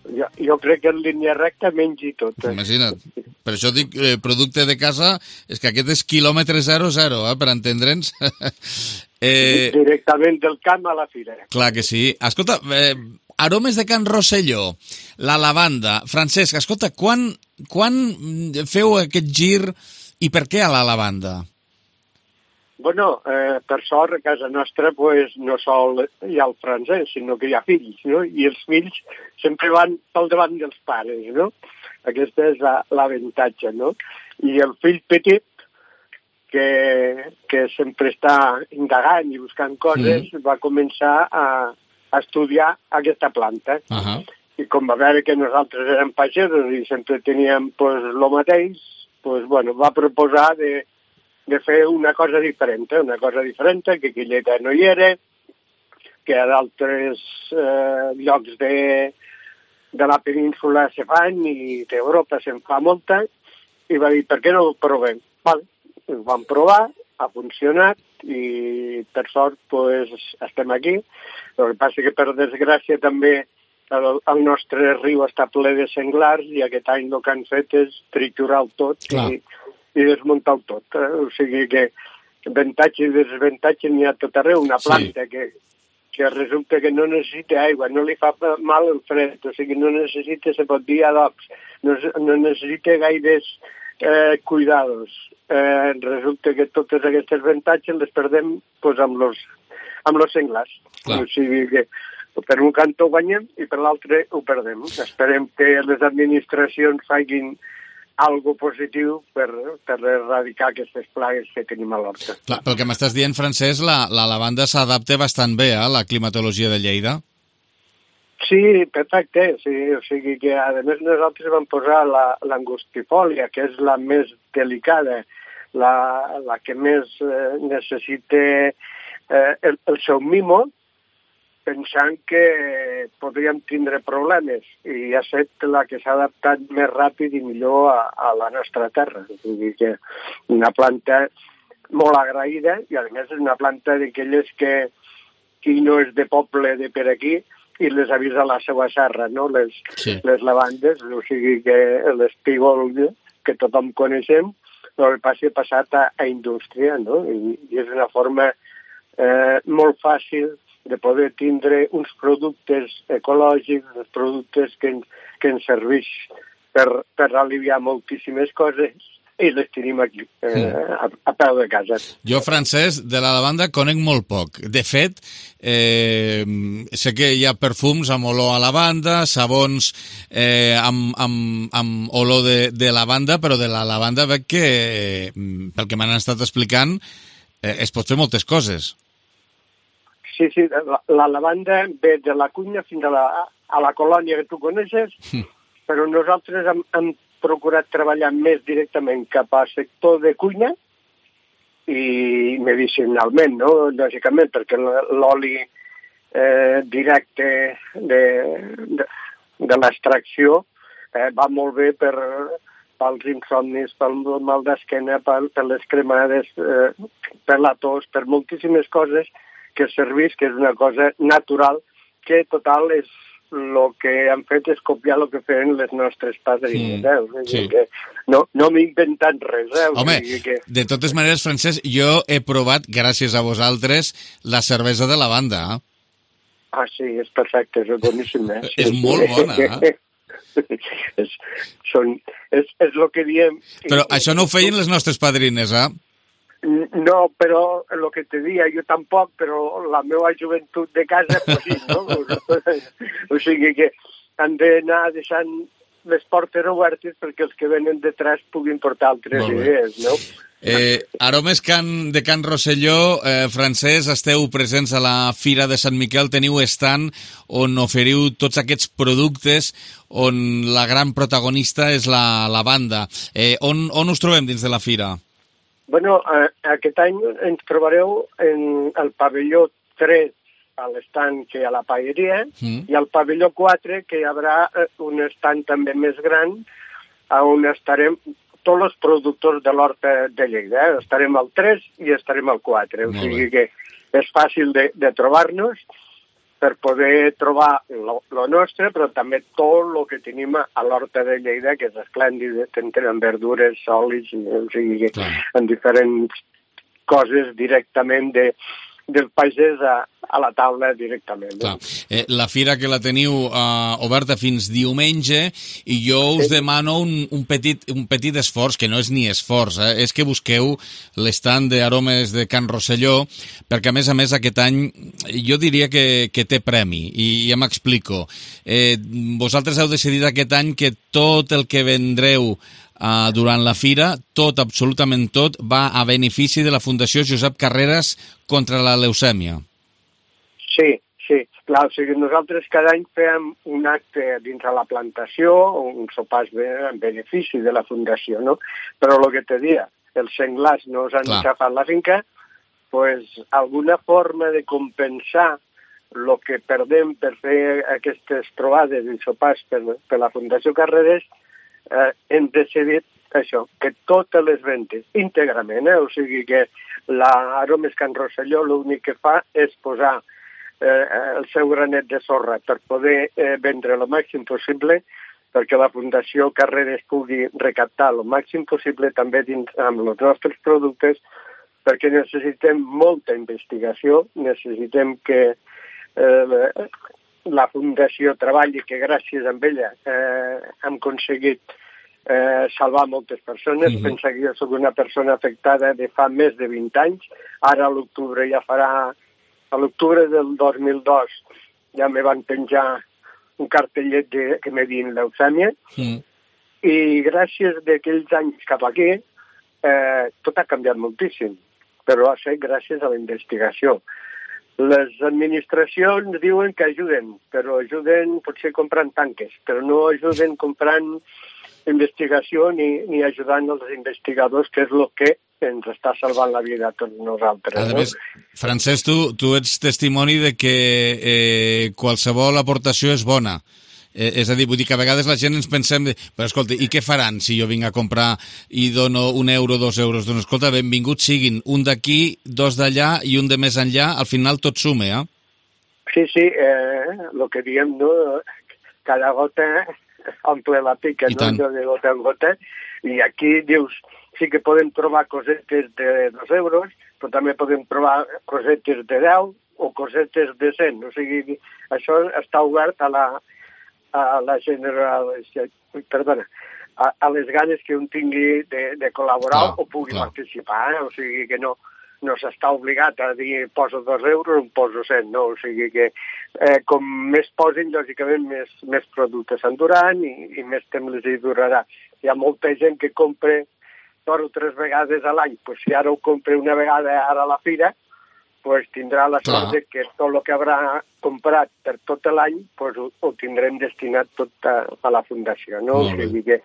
jo, jo crec que en línia recta mengi tot. Eh? Imagina't. Per això dic eh, producte de casa, és que aquest és quilòmetre zero zero, eh, per entendre'ns. eh... Directament del camp a la fira. Clar que sí. Escolta, eh, aromes de Can Rosselló, la lavanda. Francesc, escolta, quan, quan feu aquest gir i per què a la lavanda? Bueno, eh, per sort, a casa nostra pues, no sol hi ha el francès, sinó que hi ha fills, no? I els fills sempre van pel davant dels pares, no? Aquesta és l'avantatge, no? I el fill petit, que, que sempre està indagant i buscant coses, mm. va començar a, a estudiar aquesta planta. Uh-huh. I com va veure que nosaltres érem pagesos i sempre teníem pues, lo mateix, pues, bueno, va proposar de de fer una cosa diferent, una cosa diferent, que aquella no hi era, que a d'altres eh, llocs de, de la península se fan i d'Europa se'n fa molta, i va dir, per què no ho provem? Vale. Ho vam provar, ha funcionat, i per sort pues, estem aquí. El que passa que per desgràcia també el, el nostre riu està ple de senglars i aquest any el que han fet és triturar-ho tot i, i desmuntar tot. Eh? O sigui que avantatge i desavantatge n'hi ha tot arreu. Una planta sí. que, que resulta que no necessita aigua, no li fa mal el fred, o sigui, no necessita, se pot dir, adobs, no, no necessita gaires eh, cuidados. Eh, resulta que totes aquestes avantatges les perdem pues, amb los, amb los senglars. Clar. O sigui que per un cantó guanyem i per l'altre ho perdem. Esperem que les administracions facin algo positiu per, per erradicar aquestes plagues que tenim a l'horta. Clar, pel que m'estàs dient, Francesc, la, la lavanda s'adapta bastant bé a la climatologia de Lleida? Sí, perfecte. Sí, o sigui que, a més, nosaltres vam posar l'angustifòlia, que és la més delicada, la, la que més eh, necessita eh, el, el seu mimo, pensant que podríem tindre problemes, i ha estat la que s'ha adaptat més ràpid i millor a, a la nostra terra. O sigui que una planta molt agraïda, i a més és una planta d'aquelles que qui no és de poble de per aquí i les avisa la seva serra, no? Les, sí. les lavandes, o sigui que l'espígol que tothom coneixem, el que passa passat a, a indústria, no? I, i és una forma eh, molt fàcil de poder tindre uns productes ecològics, uns productes que, que ens serveix per, per aliviar moltíssimes coses, i les tenim aquí, eh, a, a peu de casa. Jo, Francesc, de la lavanda conec molt poc. De fet, eh, sé que hi ha perfums amb olor a lavanda, sabons eh, amb, amb, amb olor de, de lavanda, però de la lavanda veig que, eh, pel que m'han estat explicant, eh, es pot fer moltes coses. Sí, sí, la, la lavanda ve de la cuina fins a la, a la colònia que tu coneixes, mm. però nosaltres hem, hem procurat treballar més directament cap al sector de cuina i medicinalment, no? Lògicament, perquè l'oli eh, directe de, de, de l'extracció eh, va molt bé per, pels insomnis, pel mal d'esquena, per, per les cremades, eh, per la tos, per moltíssimes coses que serveix, que és una cosa natural, que total és el que han fet és copiar el que feien les nostres padrines. Mm, eh? sí. que no no m'he inventat res. Eh? Home, que... de totes maneres, Francesc, jo he provat, gràcies a vosaltres, la cervesa de lavanda. Eh? Ah, sí, és perfecte, és boníssim. Eh? Sí, és molt bona, eh? és, són, és, és el que diem... Però això no ho feien les nostres padrines, eh? No, però el que te dia, jo tampoc, però la meva joventut de casa, pues sí, no? O sigui que han d'anar deixant les portes obertes perquè els que venen detrás puguin portar altres idees, no? Eh, aromes can, de Can Rosselló, eh, Francesc, esteu presents a la Fira de Sant Miquel, teniu stand on oferiu tots aquests productes on la gran protagonista és la lavanda. Eh, on, on us trobem dins de la fira? Bueno, eh, aquest any ens trobareu en el pavelló tres a l'estand que hi ha a la paelleria mm. i al pavelló quatre que hi haurà un estand també més gran on estarem tots els productors de l'horta de Lleida. Eh? Estarem al tres i estarem al quatre. O sigui que és fàcil de, de trobar-nos. per poder trobar el nostre, però també tot el que tenim a l'Horta de Lleida, que és esplèndid, tenen verdures, olis, o sigui, en diferents coses directament de, del pagès a, a la taula directament. Clar. Eh, la fira que la teniu eh, oberta fins diumenge i jo us sí. demano un, un, petit, un petit esforç, que no és ni esforç, eh, és que busqueu l'estand d'aromes de Can Rosselló, perquè a més a més aquest any jo diria que, que té premi, i ja m'explico. Eh, vosaltres heu decidit aquest any que tot el que vendreu Uh, durant la fira, tot, absolutament tot, va a benefici de la Fundació Josep Carreras contra la leucèmia. Sí, sí. Clar, o sigui, nosaltres cada any fem un acte dins de la plantació, un sopar en benefici de la Fundació, no? Però el que te dia, els senglars no us han xafat la finca, pues, alguna forma de compensar el que perdem per fer aquestes trobades i sopars per, per la Fundació Carreras, Eh, hem decidit això, que totes les ventes íntegrament, eh? O sigui que l'Aromes Can Rosselló l'únic que fa és posar eh, el seu granet de sorra per poder eh, vendre el màxim possible, perquè la Fundació Carreras pugui recaptar el màxim possible també dins amb els nostres productes, perquè necessitem molta investigació, necessitem que eh, la Fundació treballi, que gràcies a ella eh, hem aconseguit eh, salvar moltes persones. Mm-hmm. Pensa que jo soc una persona afectada de fa més de vint anys. Ara a l'octubre ja farà... A l'octubre del dos mil dos ja me van penjar un cartellet de, que me diuen leucèmia. Mm. I gràcies d'aquells anys cap aquí eh, tot ha canviat moltíssim. Però ha estat gràcies a la investigació. Les administracions diuen que ajuden, però ajuden potser comprant tanques, però no ajuden comprant investigació ni, ni ajudant els investigadors, que és el que ens està salvant la vida a tots nosaltres. A més, no? Francesc, tu, tu ets testimoni de que eh, qualsevol aportació és bona. Eh, és a dir, vull dir que a vegades la gent ens pensem, de, però escolta, i què faran si jo vinc a comprar i dono un euro, dos euros? Doncs escolta, benvinguts siguin, un d'aquí, dos d'allà i un de més enllà, al final tot sume, eh? Sí, sí, eh, el que diem, no? Cada gota omple la pica, no? Jo de gota en gota, i aquí dius, sí que podem trobar cosetes de dos euros, però també podem trobar cosetes de deu o cosetes de cent, o sigui, això està obert a la a la general, perdona, a, a les ganes que un tingui de, de col·laborar clar, o pugui clar. participar, eh? O sigui que no, no s'està obligat a dir poso dos euros o poso cent, no? O sigui que eh, com més posin, lògicament, més, més productes s'enduran i, i més temps les hi durarà. Hi ha molta gent que compra dos o tres vegades a l'any, pues si ara ho compra una vegada ara a la fira, pues tindrà la sort de que tot el que haurà comprat per tot l'any pues ho, ho tindrem destinat tot a, a la Fundació, no? O sigui que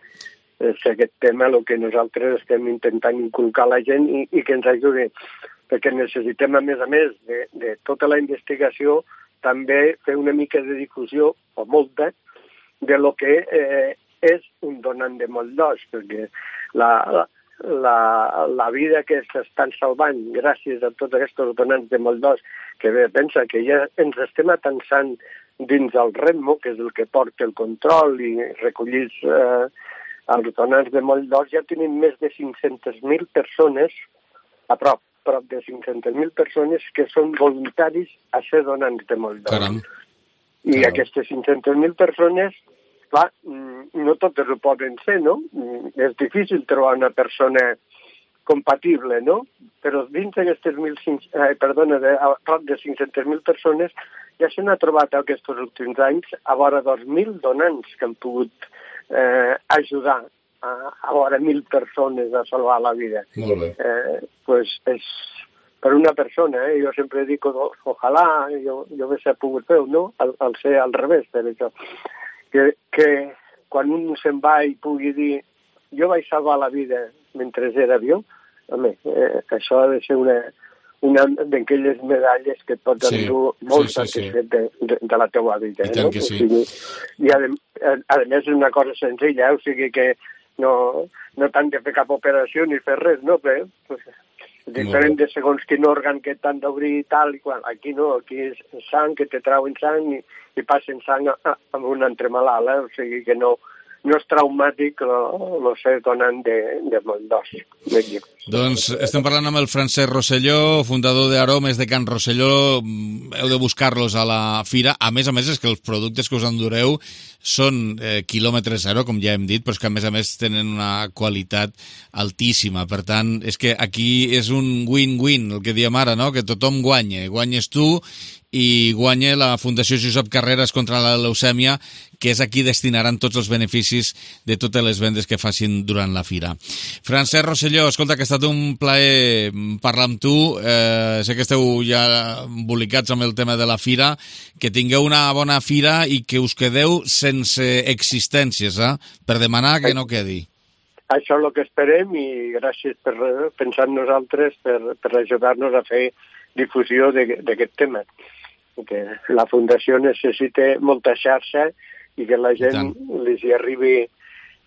és aquest tema el que nosaltres estem intentant inculcar a la gent i, i que ens ajudi, perquè necessitem, a més a més de, de tota la investigació, també fer una mica de difusió, o molta, de lo que eh, és un donant de molt d'os, perquè la... la La, la vida que s'estan salvant gràcies a tots aquests donants de molt d'os, que bé, pensa que ja ens estem atansant dins el Redmo, que és el que porta el control i recollir eh, els donants de molt d'os, ja tenim més de cinc-centes mil persones, a prop, prop de cinc-centes mil persones que són voluntaris a ser donants de molt d'os. Caram. I Caram. aquestes cinc-centes mil persones, clar, no totes ho poden ser, no? És difícil trobar una persona compatible, no? Però dins d'aquestes mil cinc, eh, perdona, de, a prop de cinc-centes mil persones ja se n'ha trobat aquests últims anys a vora dos mil donants que han pogut eh, ajudar a, a vora mil persones a salvar la vida. Molt bé. Eh, pues és per una persona, eh? Jo sempre dic, ojalà jo, jo hagués pogut fer-ho, no? Al, al ser al revés, per això. Que, que quan un se'n va i pugui dir jo vaig salvar la vida mentre era viu, home, eh, això ha de ser una, una d'aquelles medalles que et pots sí, endur molt sí, sí, satisfet sí. de, de, de la teua vida. I tant no? que sí. O sigui, i a, a, a més és una cosa senzilla, eh? O sigui que no, no t'han de fer cap operació ni fer res, no? Però, pues, diferent de segons quin òrgan que t'han d'obrir i tal, i quan, aquí no, aquí és sang, que te trauen sang i, i passen sang a, a, amb un altre malalt, eh? O sigui que no, no és traumàtic, lo sé donant de, de molt d'os. Doncs estem parlant amb el Francesc Rosselló, fundador d'Aromes de Can Rosselló. Heu de buscar-los a la fira. A més a més, és que els productes que us endureu són eh, quilòmetre zero, com ja hem dit, però és que a més a més tenen una qualitat altíssima. Per tant, és que aquí és un win-win, el que diem ara, no? Que tothom guanya. Guanyes tu i guanya la Fundació Josep Carreras contra la leucèmia, que és a qui destinaran tots els beneficis de totes les vendes que facin durant la fira. Francesc Rosselló, escolta, que ha estat un plaer parlar amb tu. Eh, sé que esteu ja embolicats amb el tema de la fira. Que tingueu una bona fira i que us quedeu sense existències, eh? Per demanar que no quedi. Això és el que esperem i gràcies per pensar en nosaltres, per, per ajudar-nos a fer difusió d'aquest tema. Que la Fundació necessita molta xarxa i que la gent li arribi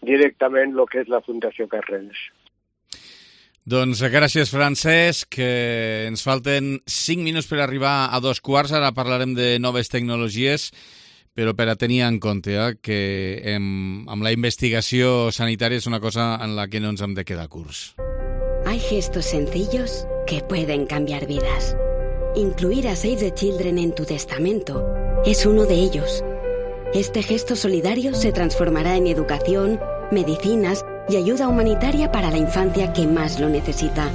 directament el que és la Fundació Carreras. Doncs gràcies, Francesc, que ens falten cinc minuts per arribar a dos quarts. Ara parlarem de noves tecnologies, però per a tenir en compte eh, que em, amb la investigació sanitària és una cosa en la que no ens hem de quedar curts. Hay gestos sencillos que pueden cambiar vidas. Incluir a Save the Children en tu testamento es uno de ellos. Este gesto solidario se transformará en educación, medicinas y ayuda humanitaria para la infancia que más lo necesita.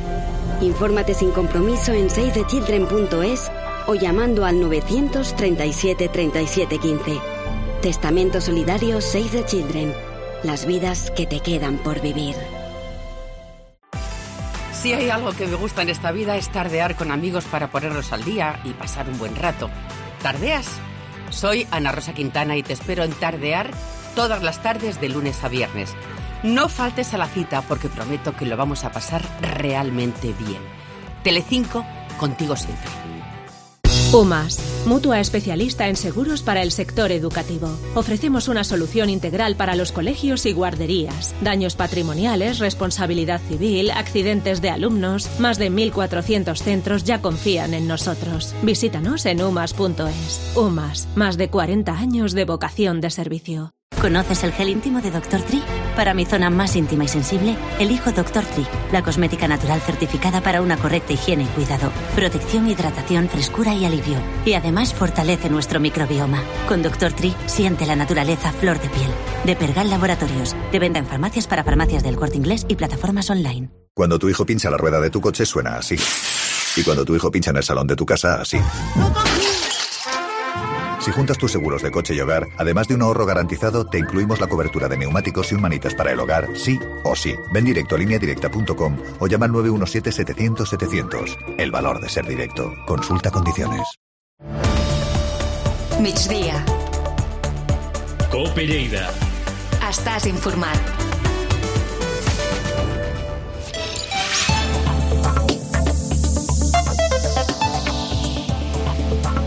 Infórmate sin compromiso en save the children punto es o llamando al novecientos treinta y siete treinta y siete quince. Testamento solidario Save the Children. Las vidas que te quedan por vivir. Si hay algo que me gusta en esta vida es tardear con amigos para ponernos al día y pasar un buen rato. ¿Tardeas? Soy Ana Rosa Quintana y te espero en Tardear todas las tardes de lunes a viernes. No faltes a la cita porque prometo que lo vamos a pasar realmente bien. Telecinco, contigo siempre. UMAS, mutua especialista en seguros para el sector educativo. Ofrecemos una solución integral para los colegios y guarderías. Daños patrimoniales, responsabilidad civil, accidentes de alumnos. Más de mil cuatrocientos centros ya confían en nosotros. Visítanos en umas punto es. UMAS, más de cuarenta años de vocación de servicio. ¿Conoces el gel íntimo de doctor Tri? Para mi zona más íntima y sensible, elijo doctor Tri, la cosmética natural certificada para una correcta higiene y cuidado. Protección, hidratación, frescura y alivio. Y además fortalece nuestro microbioma. Con doctor Tri, siente la naturaleza flor de piel. De Pergal Laboratorios, de venta en farmacias para farmacias del Corte Inglés y plataformas online. Cuando tu hijo pincha la rueda de tu coche suena así. Y cuando tu hijo pincha en el salón de tu casa, así. Si juntas tus seguros de coche y hogar, además de un ahorro garantizado, te incluimos la cobertura de neumáticos y un manitas para el hogar, sí o sí. Ven directo a línea directa punto com o llama al nueve uno siete setecientos setecientos. El valor de ser directo. Consulta condiciones. Migdia. Cope Lleida. Estàs informat.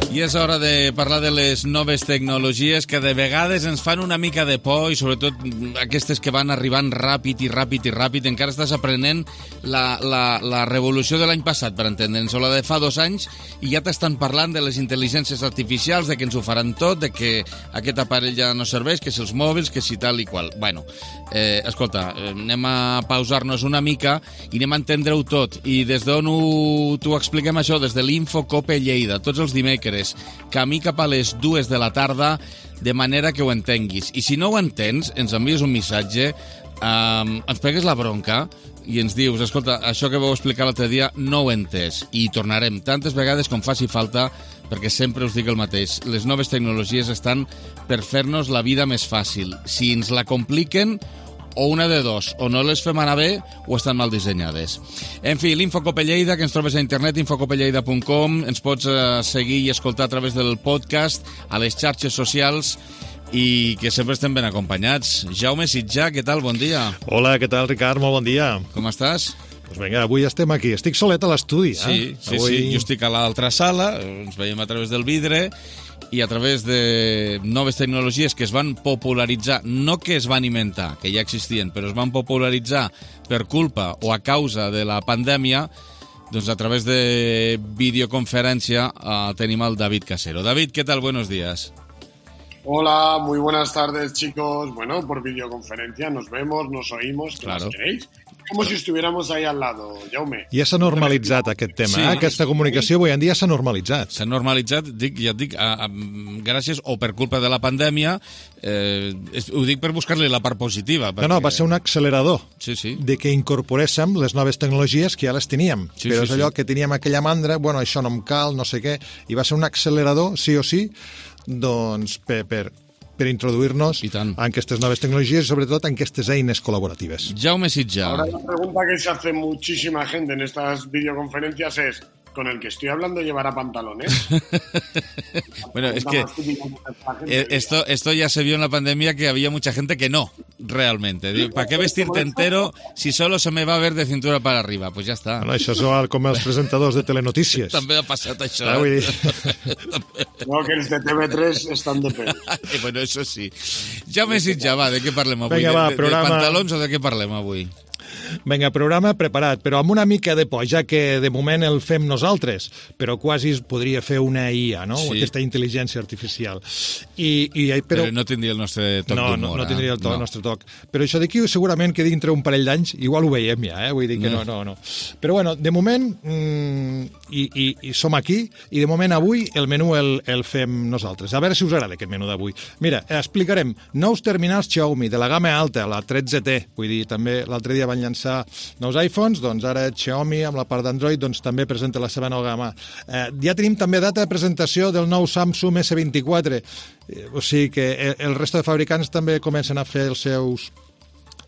I és hora de parlar de les noves tecnologies que de vegades ens fan una mica de por i sobretot aquestes que van arribant ràpid i ràpid i ràpid. Encara estàs aprenent la, la, la revolució de l'any passat, per entendre'ns, o la de fa dos anys, i ja t'estan parlant de les intel·ligències artificials, de que ens ho faran tot, de que aquest aparell ja no serveix, que si els mòbils, que si tal i qual. Bueno, eh, escolta, anem a pausar-nos una mica i anem a entendre-ho tot. I des d'on t'ho expliquem això? Des de l'Infocope Lleida, tots els dimecres, camí cap a les dues de la tarda, de manera que ho entenguis. I si no ho entens, ens envies un missatge, um, ens pegues la bronca i ens dius, escolta, això que vau explicar l'altre dia no ho he entès. I tornarem tantes vegades com faci falta, perquè sempre us dic el mateix. Les noves tecnologies estan per fer-nos la vida més fàcil. Si ens la compliquen, o una de dos, o no les fem anar bé o estan mal dissenyades. En fi, l'Infocope Lleida, que ens trobes a internet, infocope lleida punt com, ens pots uh, seguir i escoltar a través del podcast, a les xarxes socials, i que sempre estem ben acompanyats. Jaume Sitjà, què tal? Bon dia. Hola, què tal, Ricard? Molt bon dia. Com estàs? Doncs vinga, avui estem aquí. Estic solet a l'estudi. Sí, eh? sí, avui... sí. Jo estic a l'altra sala, ens veiem a través del vidre, i a través de noves tecnologies que es van popularitzar, no que es van inventar, que ja existien, però es van popularitzar per culpa o a causa de la pandèmia, Doncs a través de videoconferencia uh, tenim al David Casero. David, ¿qué tal? Buenos días. Hola, muy buenas tardes, chicos. Bueno, por videoconferencia nos vemos, nos oímos, ¿qué claro. más queréis? Com si estuviéramos ahí al lado, Jaume. Ja s'ha normalitzat aquest tema, Sí. eh? Aquesta comunicació avui en dia s'ha normalitzat. S'ha normalitzat, dic, ja et dic, a, a, gràcies o per culpa de la pandèmia, eh, és, ho dic per buscar-li la part positiva. Perquè... No, no, va ser un accelerador sí, sí. de que incorporéssim les noves tecnologies que ja les teníem. Sí, Però sí, és allò sí. que teníem aquella mandra, bueno, això no em cal, no sé què, i va ser un accelerador, sí o sí, doncs per... per per introduir-nos en aquestes noves tecnologies i sobretot en aquestes eines col·laboratives. Jaume Sitjà. Ahora la pregunta que se hace muchísima gente en estas videoconferencias es, ¿con el que estoy hablando llevará pantalones? Bueno, es que eh, esto, esto ya se vio en la pandemia que había mucha gente que no, realmente. Digo, ¿para qué vestirte entero si solo se me va a ver de cintura para arriba? Pues ya está. Bueno, això és igual com els presentadors de telenotícies. També ha passat això. Ah, vull dir... No, que els de T V tres estan de pèl. Bueno, eso sí. Jaume Sitjà, va, de què parlem avui? Vinga, va, de, de, programa... de pantalons o de què parlem avui? Vinga, programa preparat, però amb una mica de por, ja que de moment el fem nosaltres, però quasi es podria fer una I A, no? Sí. Aquesta intel·ligència artificial. I, i, però... però no tindria el nostre toc no, d'humor. No, no tindria el, to, no. el nostre toc. Però això d'aquí segurament que dintre un parell d'anys igual ho veiem ja, eh? Vull dir que no, no, no. Però bueno, de moment mmm, i, i, i som aquí i de moment avui el menú el, el fem nosaltres. A veure si us agrada aquest menú d'avui. Mira, explicarem nous terminals Xiaomi de la gamma alta, la tretze T, vull dir, també l'altre dia van llançar nous iPhones, doncs ara Xiaomi amb la part d'Android doncs també presenta la seva nova gamma. Eh, ja tenim també data de presentació del nou Samsung S vint-i-quatre, eh, o sigui que el, el resto de fabricants també comencen a fer els seus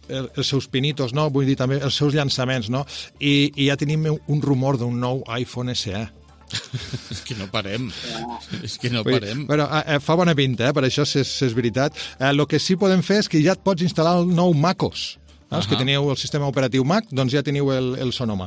el, els seus pinitos, no? Vull dir també els seus llançaments, no? I, i ja tenim un rumor d'un nou iPhone S E. És que no parem. És que no Vull dir, parem. Bueno, eh, fa bona pinta, eh? Per això si és, si és veritat. El eh, que sí podem fer és que ja et pots instal·lar el nou MacOS. No? Els que teniu el sistema operatiu Mac, doncs ja teniu el, el Sonoma.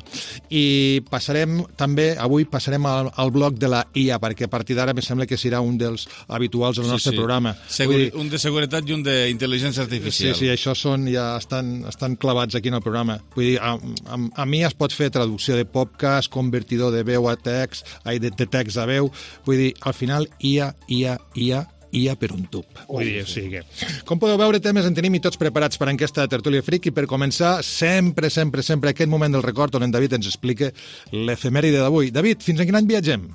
I passarem també, avui passarem al, al bloc de la I A, perquè a partir d'ara em sembla que serà un dels habituals del nostre sí, sí. programa. Seguri, dir, un de seguretat i un d'intel·ligència artificial. Sí, sí, això són, ja estan, estan clavats aquí en el programa. Vull dir, a, a, a mi es pot fer traducció de podcast, convertidor de veu a text, ai, de, de text a veu. Vull dir, al final, I A, I A, I A, I A per un tub. Vull dir, o sigui que... Com podeu veure, temes en tenim i tots preparats per a aquesta tertúlia fric i per començar, sempre, sempre, sempre aquest moment del record on en David ens explica l'efemèride d'avui. David, fins a quin any viatgem?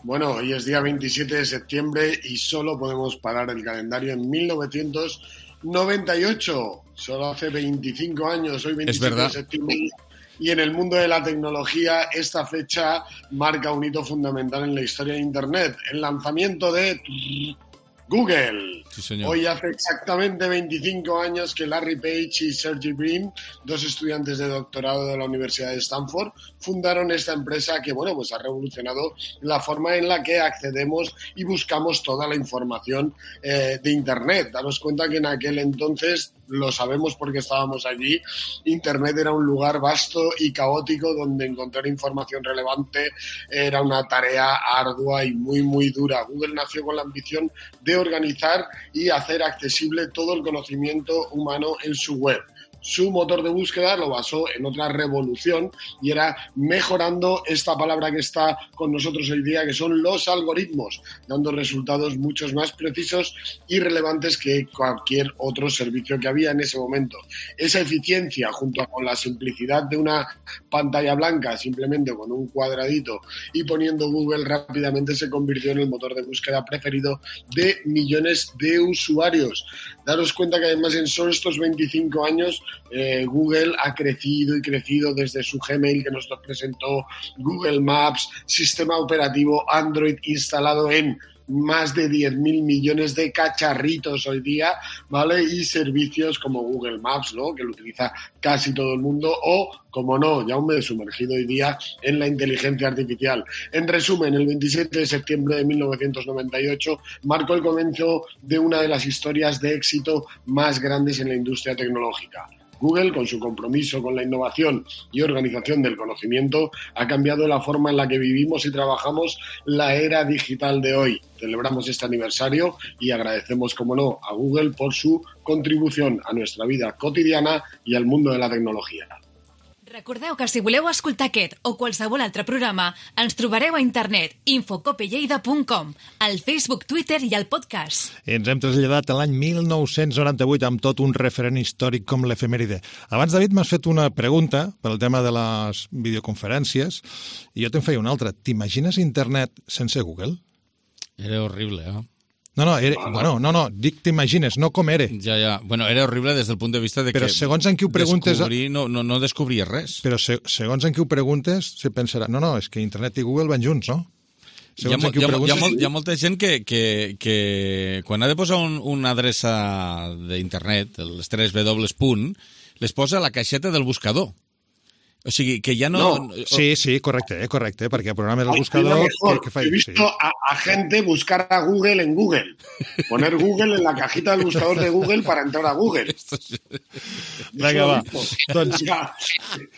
Bueno, hoy es día veintisiete de septiembre y solo podemos parar el calendario en mil novecientos noventa y ocho. Solo hace veinticinco años, hoy veintisiete de septiembre. Y en el mundo de la tecnología, esta fecha marca un hito fundamental en la historia de Internet. El lanzamiento de Google. Sí, señor. Hoy hace exactamente veinticinco años que Larry Page y Sergey Brin, dos estudiantes de doctorado de la Universidad de Stanford, fundaron esta empresa que, bueno, pues ha revolucionado la forma en la que accedemos y buscamos toda la información eh, de Internet. Daros cuenta que en aquel entonces, lo sabemos porque estábamos allí, Internet era un lugar vasto y caótico donde encontrar información relevante era una tarea ardua y muy, muy dura. Google nació con la ambición de organizar y hacer accesible todo el conocimiento humano en su web. Su motor de búsqueda lo basó en otra revolución y era mejorando esta palabra que está con nosotros hoy día, que son los algoritmos, dando resultados muchos más precisos y relevantes que cualquier otro servicio que había en ese momento. Esa eficiencia, junto con la simplicidad de una pantalla blanca, simplemente con un cuadradito y poniendo Google, rápidamente se convirtió en el motor de búsqueda preferido de millones de usuarios. Daros cuenta que además en solo estos veinticinco años Eh, Google ha crecido y crecido desde su Gmail que nos lo presentó, Google Maps, sistema operativo Android instalado en más de diez mil millones de cacharritos hoy día, ¿vale? Y servicios como Google Maps, ¿no? Que lo utiliza casi todo el mundo, o, como no, ya me he sumergido hoy día en la inteligencia artificial. En resumen, el veintisiete de septiembre de mil novecientos noventa y ocho marcó el comienzo de una de las historias de éxito más grandes en la industria tecnológica. Google, con su compromiso con la innovación y organización del conocimiento, ha cambiado la forma en la que vivimos y trabajamos la era digital de hoy. Celebramos este aniversario y agradecemos, como no, a Google por su contribución a nuestra vida cotidiana y al mundo de la tecnología. Recordeu que si voleu escoltar aquest o qualsevol altre programa, ens trobareu a internet infocopelleida punt com, al Facebook, Twitter i al podcast. Ens hem traslladat a l'any mil nou-cents noranta-vuit amb tot un referent històric com l'efemèride. Abans, David, m'has fet una pregunta pel tema de les videoconferències i jo te'n feia una altra. T'imagines internet sense Google? Era horrible, eh? No, no, era, bueno, no, no, dic t'imagines, no com era. Ja, ja. Bueno, era horrible des del punt de vista de però que segons en qui ho preguntes, descobrir, no, no, no descobries res. Però se, segons en qui ho preguntes, se pensarà, no, no, és que internet i Google van junts, no? Hi ha, mo, hi, ha, preguntes... hi, ha molt, hi ha molta gent que, que, que quan ha de posar un, una adreça d'internet, les tres W punt, les posa a la caixeta del buscador. O sigui, que ya no... no. Sí, sí, correcte, correcte, perquè el programa del buscador... Que, que fa... He visto sí. a, a gente buscar a Google en Google. Poner Google en la cajita del buscador de Google para entrar a Google. Venga, va. Entonces...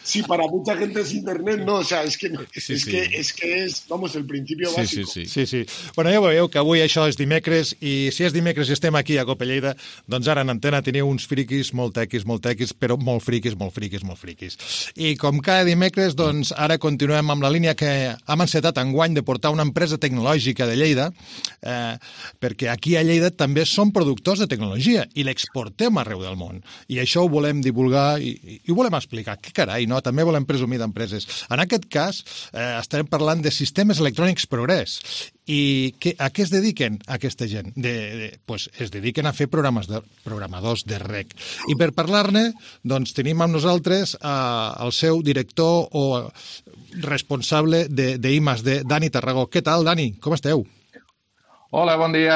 Sí, para mucha gente es internet, no, o sea, es que sí, es, sí. Que, es que es, vamos, el principio sí, básico. Sí, sí, sí. sí. Bueno, ja veieu que avui això és dimecres i si és dimecres i estem aquí a Copelleida, doncs ara en antena teniu uns friquis molt tequis, molt tequis, però molt friquis, molt friquis, molt friquis. I com cada dimecres, doncs ara continuem amb la línia que hem encetat enguany de portar una empresa tecnològica de Lleida, eh, perquè aquí a Lleida també som productors de tecnologia i l'exportem arreu del món. I això ho volem divulgar i, i ho volem explicar. Que carai, no? També volem presumir d'empreses. En aquest cas, eh, estarem parlant de Sistemes Electrònics Progrés. I que, a què es dediquen aquesta gent? De, de, pues es dediquen a fer programes de, programadors de rec. I per parlar-ne, doncs tenim amb nosaltres eh, el seu director o responsable de, de I més D, Dani Tarragó. Què tal, Dani? Com esteu? Hola, bon dia.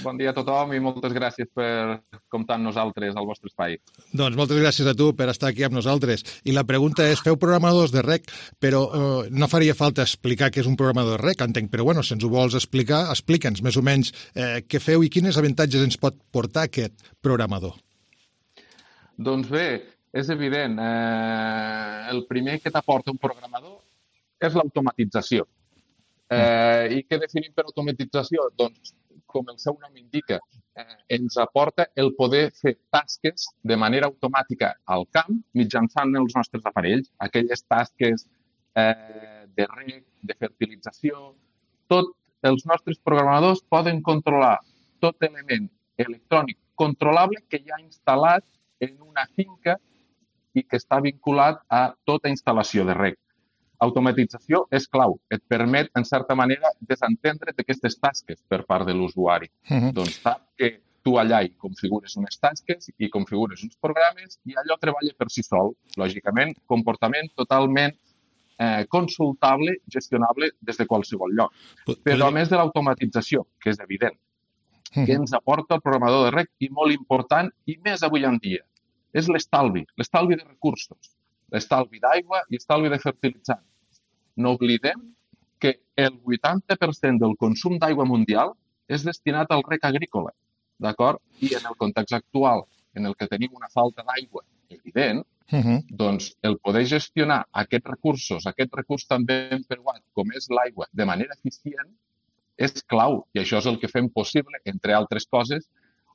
Bon dia a tothom i moltes gràcies per comptar amb nosaltres al vostre espai. Doncs moltes gràcies a tu per estar aquí amb nosaltres. I la pregunta és, feu programadors de rec, però eh, no faria falta explicar què és un programador de rec, entenc, però bueno, si ens ho vols explicar, explica'ns més o menys eh, què feu i quines avantatges ens pot portar aquest programador. Doncs bé, és evident. Eh, el primer que t'aporta un programador és l'automatització. Eh, I què definim per automatització? Doncs, com el seu nom indica, eh, ens aporta el poder fer tasques de manera automàtica al camp mitjançant els nostres aparells. Aquelles tasques eh, de reg, de fertilització, tots els nostres programadors poden controlar tot element electrònic controlable que hi ha instal·lat en una finca i que està vinculat a tota instal·lació de reg. Automatització és clau. Et permet, en certa manera, desentendre't d'aquestes tasques per part de l'usuari. Uh-huh. Doncs sap que tu allà hi configures unes tasques i configures uns programes i allò treballa per si sol. Lògicament, comportament totalment eh, consultable, gestionable des de qualsevol lloc. Però a més de l'automatització, que és evident, uh-huh. que ens aporta el programador de reg i molt important, i més avui en dia, és l'estalvi, l'estalvi de recursos. L'estalvi d'aigua i estalvi de fertilitzant. No oblidem que el vuitanta per cent del consum d'aigua mundial és destinat al reg agrícola, d'acord? I en el context actual, en el que tenim una falta d'aigua evident, uh-huh. doncs el poder gestionar aquests recursos, aquest recurs tan ben preuat com és l'aigua, de manera eficient, és clau. I això és el que fem possible, entre altres coses,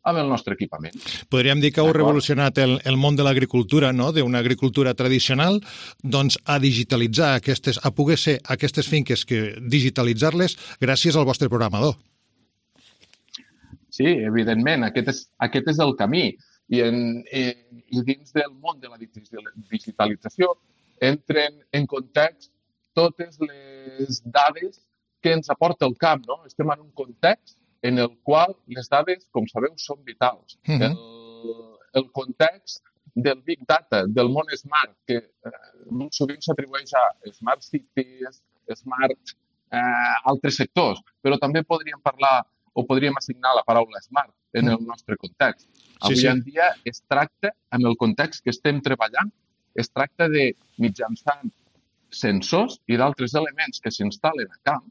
amb el nostre equipament. Podríem dir que heu revolucionat el, el món de l'agricultura, no? D'una agricultura tradicional, doncs a digitalitzar aquestes, a poder ser aquestes finques que digitalitzar-les gràcies al vostre programador. Sí, evidentment, aquest és, aquest és el camí. I, en, i, i dins del món de la digitalització entren en context totes les dades que ens aporta el camp, no? Estem en un context en el qual les dades, com sabeu, són vitals. Uh-huh. el, el context del Big Data, del món Smart, que eh, sovint s'atribueix a Smart Cities, Smart, eh, altres sectors, però també podríem parlar o podríem assignar la paraula Smart en el nostre context. Avui sí, sí. en dia es tracta, en el context que estem treballant, es tracta de, mitjançant sensors i d'altres elements que s'instal·len a camp,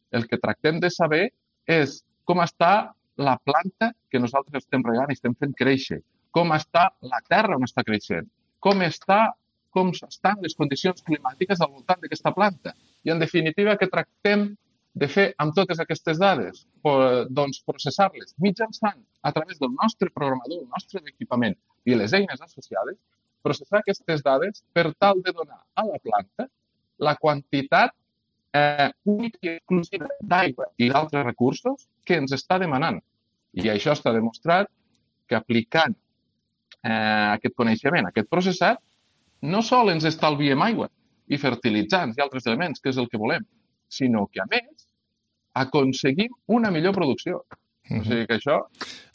el que tractem de saber és com està la planta que nosaltres estem regant i estem fent créixer, com està la terra on està creixent, com, està, com estan les condicions climàtiques al voltant d'aquesta planta. I, en definitiva, què tractem de fer amb totes aquestes dades? Doncs processar-les mitjançant, a través del nostre programador, el nostre equipament i les eines associades, processar aquestes dades per tal de donar a la planta la quantitat eh, única i exclusiva d'aigua i d'altres recursos que ens està demanant. I això està demostrat que aplicant eh, aquest coneixement, aquest processat, no sol ens estalviem aigua i fertilitzants i altres elements, que és el que volem, sinó que, a més, aconseguim una millor producció. O sigui que això...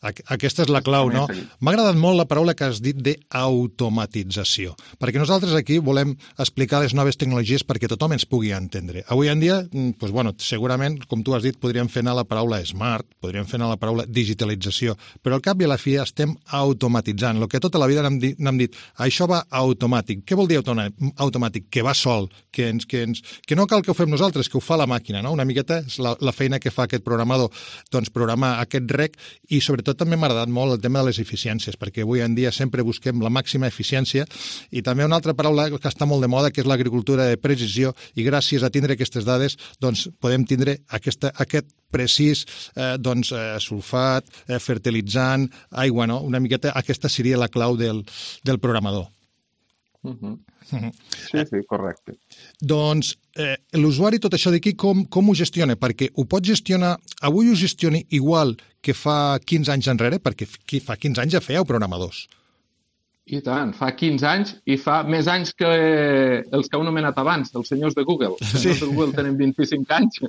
Aquesta és la clau, no? M'ha agradat molt la paraula que has dit d'automatització, perquè nosaltres aquí volem explicar les noves tecnologies perquè tothom ens pugui entendre. Avui en dia, doncs, bueno, segurament, com tu has dit, podríem fer anar la paraula smart, podríem fer anar la paraula digitalització, però al cap i a la fi estem automatitzant. El que tota la vida n'hem dit, n'hem dit, això va automàtic. Què vol dir automàtic? Que va sol, que, ens, que, ens, que no cal que ho fem nosaltres, que ho fa la màquina, no? Una miqueta és la, la feina que fa aquest programador, doncs programar aquest rec, i sobretot també m'ha agradat molt el tema de les eficiències, perquè avui en dia sempre busquem la màxima eficiència, i també una altra paraula que està molt de moda, que és l'agricultura de precisió, i gràcies a tindre aquestes dades doncs podem tindre aquesta, aquest precís eh, doncs, eh, sulfat, eh, fertilitzant, aigua, no? Una miqueta aquesta seria la clau del, del programador. Uh-huh. Uh-huh. Sí, sí, correcte. Doncs eh, l'usuari tot això d'aquí com, com ho gestiona? Perquè ho pot gestionar, avui ho gestioni igual que fa quinze anys enrere, perquè fa quinze anys ja fèieu programadors. I tant, fa quinze anys i fa més anys que els que heu anomenat abans, els senyors de Google. Els senyors sí. de Google tenen vint-i-cinc anys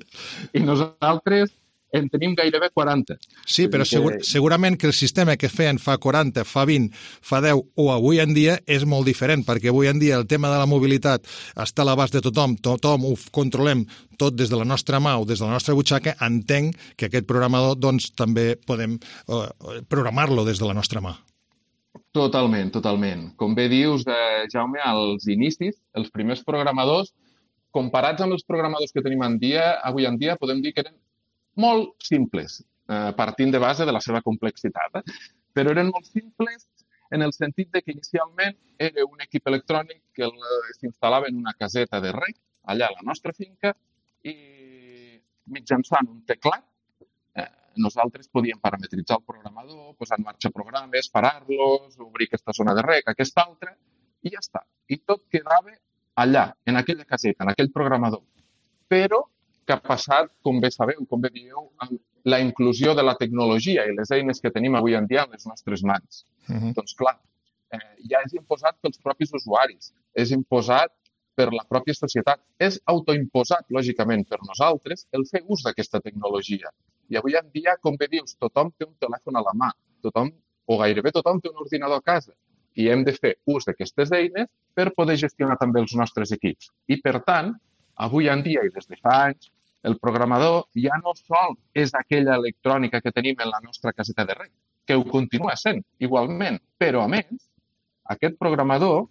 i nosaltres en tenim gairebé quaranta. Sí, però segur, segurament que el sistema que feien fa quaranta, fa vint, fa deu o avui en dia és molt diferent, perquè avui en dia el tema de la mobilitat està a l'abast de tothom, tothom ho controlem tot des de la nostra mà o des de la nostra butxaca. Entenc que aquest programador doncs, també podem eh, programar-lo des de la nostra mà. Totalment, totalment. Com bé dius, eh, Jaume, als inicis, els primers programadors, comparats amb els programadors que tenim en dia, avui en dia podem dir que eren molt simples, eh, partint de base de la seva complexitat. Eh? Però eren molt simples en el sentit de que inicialment era un equip electrònic que s'instal·lava en una caseta de rec, allà a la nostra finca, i mitjançant un teclat eh, nosaltres podíem parametritzar el programador, posar en marxa programes, parar-los, obrir aquesta zona de rec, aquesta altra, i ja està. I tot quedava allà, en aquella caseta, en aquell programador. Però que ha passat, com bé sabeu, com bé dieu, amb la inclusió de la tecnologia i les eines que tenim avui en dia en les nostres mans. Uh-huh. Doncs clar, eh, ja és imposat pels propis usuaris, és imposat per la pròpia societat, és autoimposat, lògicament, per nosaltres el fer ús d'aquesta tecnologia. I avui en dia, com bé dius, tothom té un telèfon a la mà, tothom, o gairebé tothom té un ordinador a casa, i hem de fer ús d'aquestes eines per poder gestionar també els nostres equips. I, per tant, avui en dia i des de fa anys, el programador ja no sol és aquella electrònica que tenim en la nostra caseta de rec, que ho continua sent igualment, però a més, aquest programador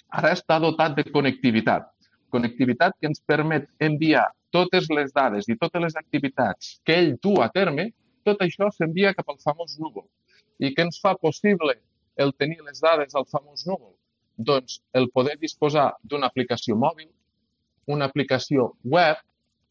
ara està dotat de connectivitat. Connectivitat que ens permet enviar totes les dades i totes les activitats que ell du a terme, tot això s'envia cap al famós núvol. I què ens fa possible el tenir les dades al famós núvol? Doncs el poder disposar d'una aplicació mòbil, una aplicació web,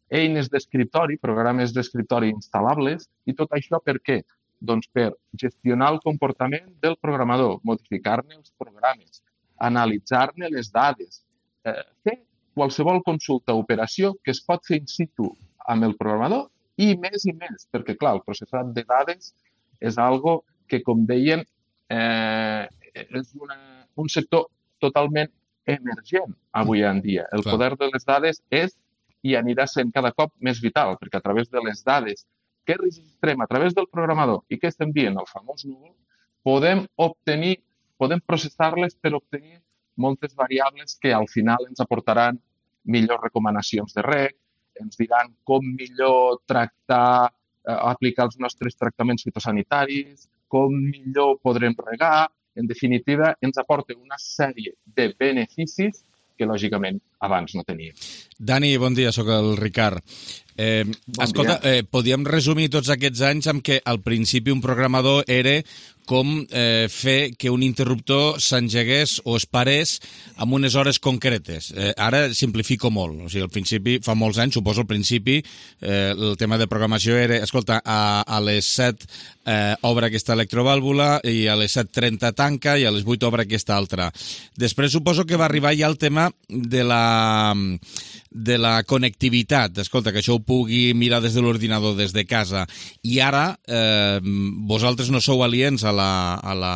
eines d'escriptori, programes d'escriptori instal·lables, i tot això per què? Doncs per gestionar el comportament del programador, modificar-ne els programes, analitzar-ne les dades, eh, fer qualsevol consulta o operació que es pot fer in situ amb el programador i més i més, perquè clar, el processat de dades és algo que, com deien, eh, és una, un sector totalment emergent avui en dia. El poder de les dades és i anirà sent cada cop més vital, perquè a través de les dades que registrem a través del programador i que s'envien al famós núvol, podem obtenir, podem processar-les per obtenir moltes variables que al final ens aportaran millors recomanacions de rec, ens diran com millor tractar, eh, aplicar els nostres tractaments fitosanitaris, com millor podrem regar. En definitiva, ens aporta una sèrie de beneficis que, lògicament, abans no teníem. Dani, bon dia, sóc el Ricard. Eh, bon escolta, dia. eh, podíem resumir tots aquests anys amb que al principi un programador era com eh, fer que un interruptor s'engegués o es parés amb unes hores concretes. Eh, ara simplifico molt, o sigui, al principi, fa molts anys, suposo al principi, eh, el tema de programació era, escolta, a, a les set eh, obre aquesta electrovàlvula i a les set trenta tanca i a les vuit obre aquesta altra. Després suposo que va arribar ja el tema de la... de la connectivitat, escolta, que això ho pugui mirar des de l'ordinador, des de casa, i ara eh, vosaltres no sou aliens a la, a la,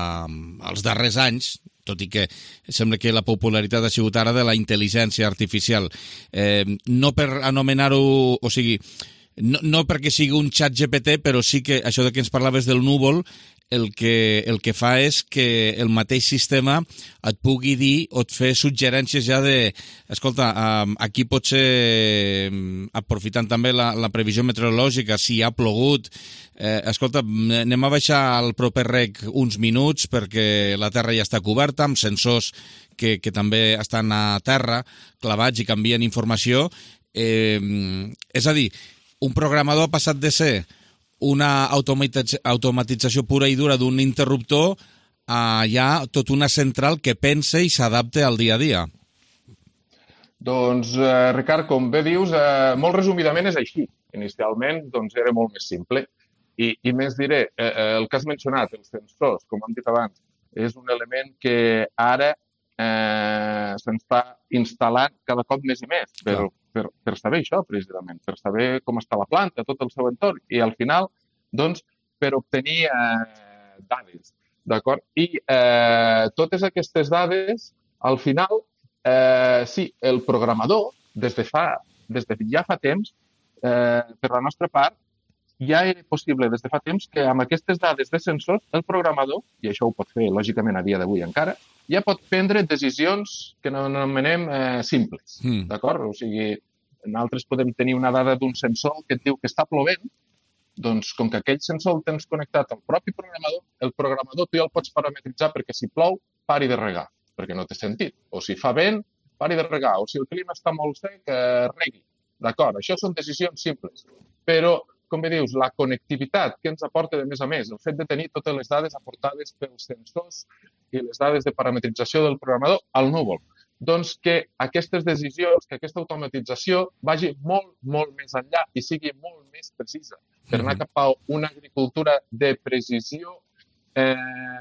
als darrers anys, tot i que sembla que la popularitat ha sigut ara de la intel·ligència artificial. Eh, no per anomenar-ho, o sigui, no, no perquè sigui un xat G P T, però sí que això de que ens parlaves del núvol, el que, el que fa és que el mateix sistema et pugui dir o et fer suggerències ja de, escolta, aquí potser, aprofitant també la, la previsió meteorològica, si ha plogut, eh, escolta, anem a baixar al proper rec uns minuts perquè la terra ja està coberta, amb sensors que, que també estan a terra, clavats i canvien informació. Eh, és a dir, un programador ha passat de ser una automatització pura i dura d'un interruptor a ja tot una central que pensa i s'adapta al dia a dia. Doncs, eh, Ricard, com bé dius, eh, molt resumidament és així. Inicialment, doncs, era molt més simple. I, i més diré, eh, el que has mencionat, els sensors, com hem dit abans, és un element que ara eh, se'ns fa instal·lant cada cop més i més, per, per, per saber això, precisament, per saber com està la planta, tot el seu entorn, i al final, doncs, per obtenir eh, dades, d'acord? I eh, totes aquestes dades, al final, eh, sí, el programador, des de, fa, des de ja fa temps, eh, per la nostra part, ja era possible des de fa temps que amb aquestes dades de sensors, el programador, i això ho pot fer, lògicament, a dia d'avui encara, ja pot prendre decisions que no anomenem eh, simples, mm. d'acord? O sigui, nosaltres podem tenir una dada d'un sensor que et diu que està plovent, doncs com que aquell sensor el tens connectat al propi programador, el programador tu ja el pots parametritzar perquè si plou, pari de regar, perquè no té sentit. O si fa vent, pari de regar. O si el clima està molt sec, eh, regui. D'acord, això són decisions simples. Però, com bé dius, la connectivitat que ens aporta de més a més, el fet de tenir totes les dades aportades pels sensors i les dades de parametrització del programador al núvol, doncs que aquestes decisions, que aquesta automatització vagi molt, molt més enllà i sigui molt més precisa, per anar cap a una agricultura de precisió eh,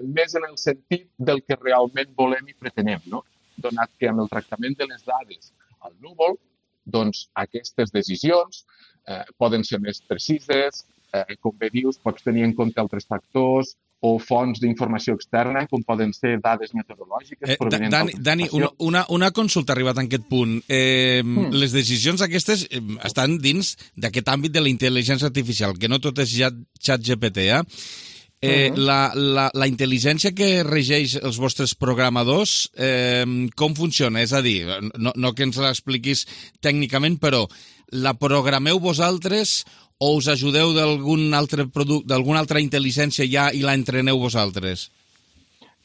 més en el sentit del que realment volem i pretenem, no? Donat que amb el tractament de les dades al núvol, doncs aquestes decisions eh, poden ser més precises, eh, com bé dius, pots tenir en compte altres factors o fonts d'informació externa, com poden ser dades meteorològiques. Eh, Dani, Dani una, una, una consulta arribat a aquest punt. Eh, mm. Les decisions aquestes eh, estan dins d'aquest àmbit de la intel·ligència artificial, que no tot és ja xat G P T, eh? Eh, uh -huh. la, la, la intel·ligència que regeix els vostres programadors, eh, com funciona? És a dir, no, no que ens l'expliquis tècnicament, però la programeu vosaltres o us ajudeu d'algun altre producte, d'alguna altra intel·ligència ja i la entreneu vosaltres?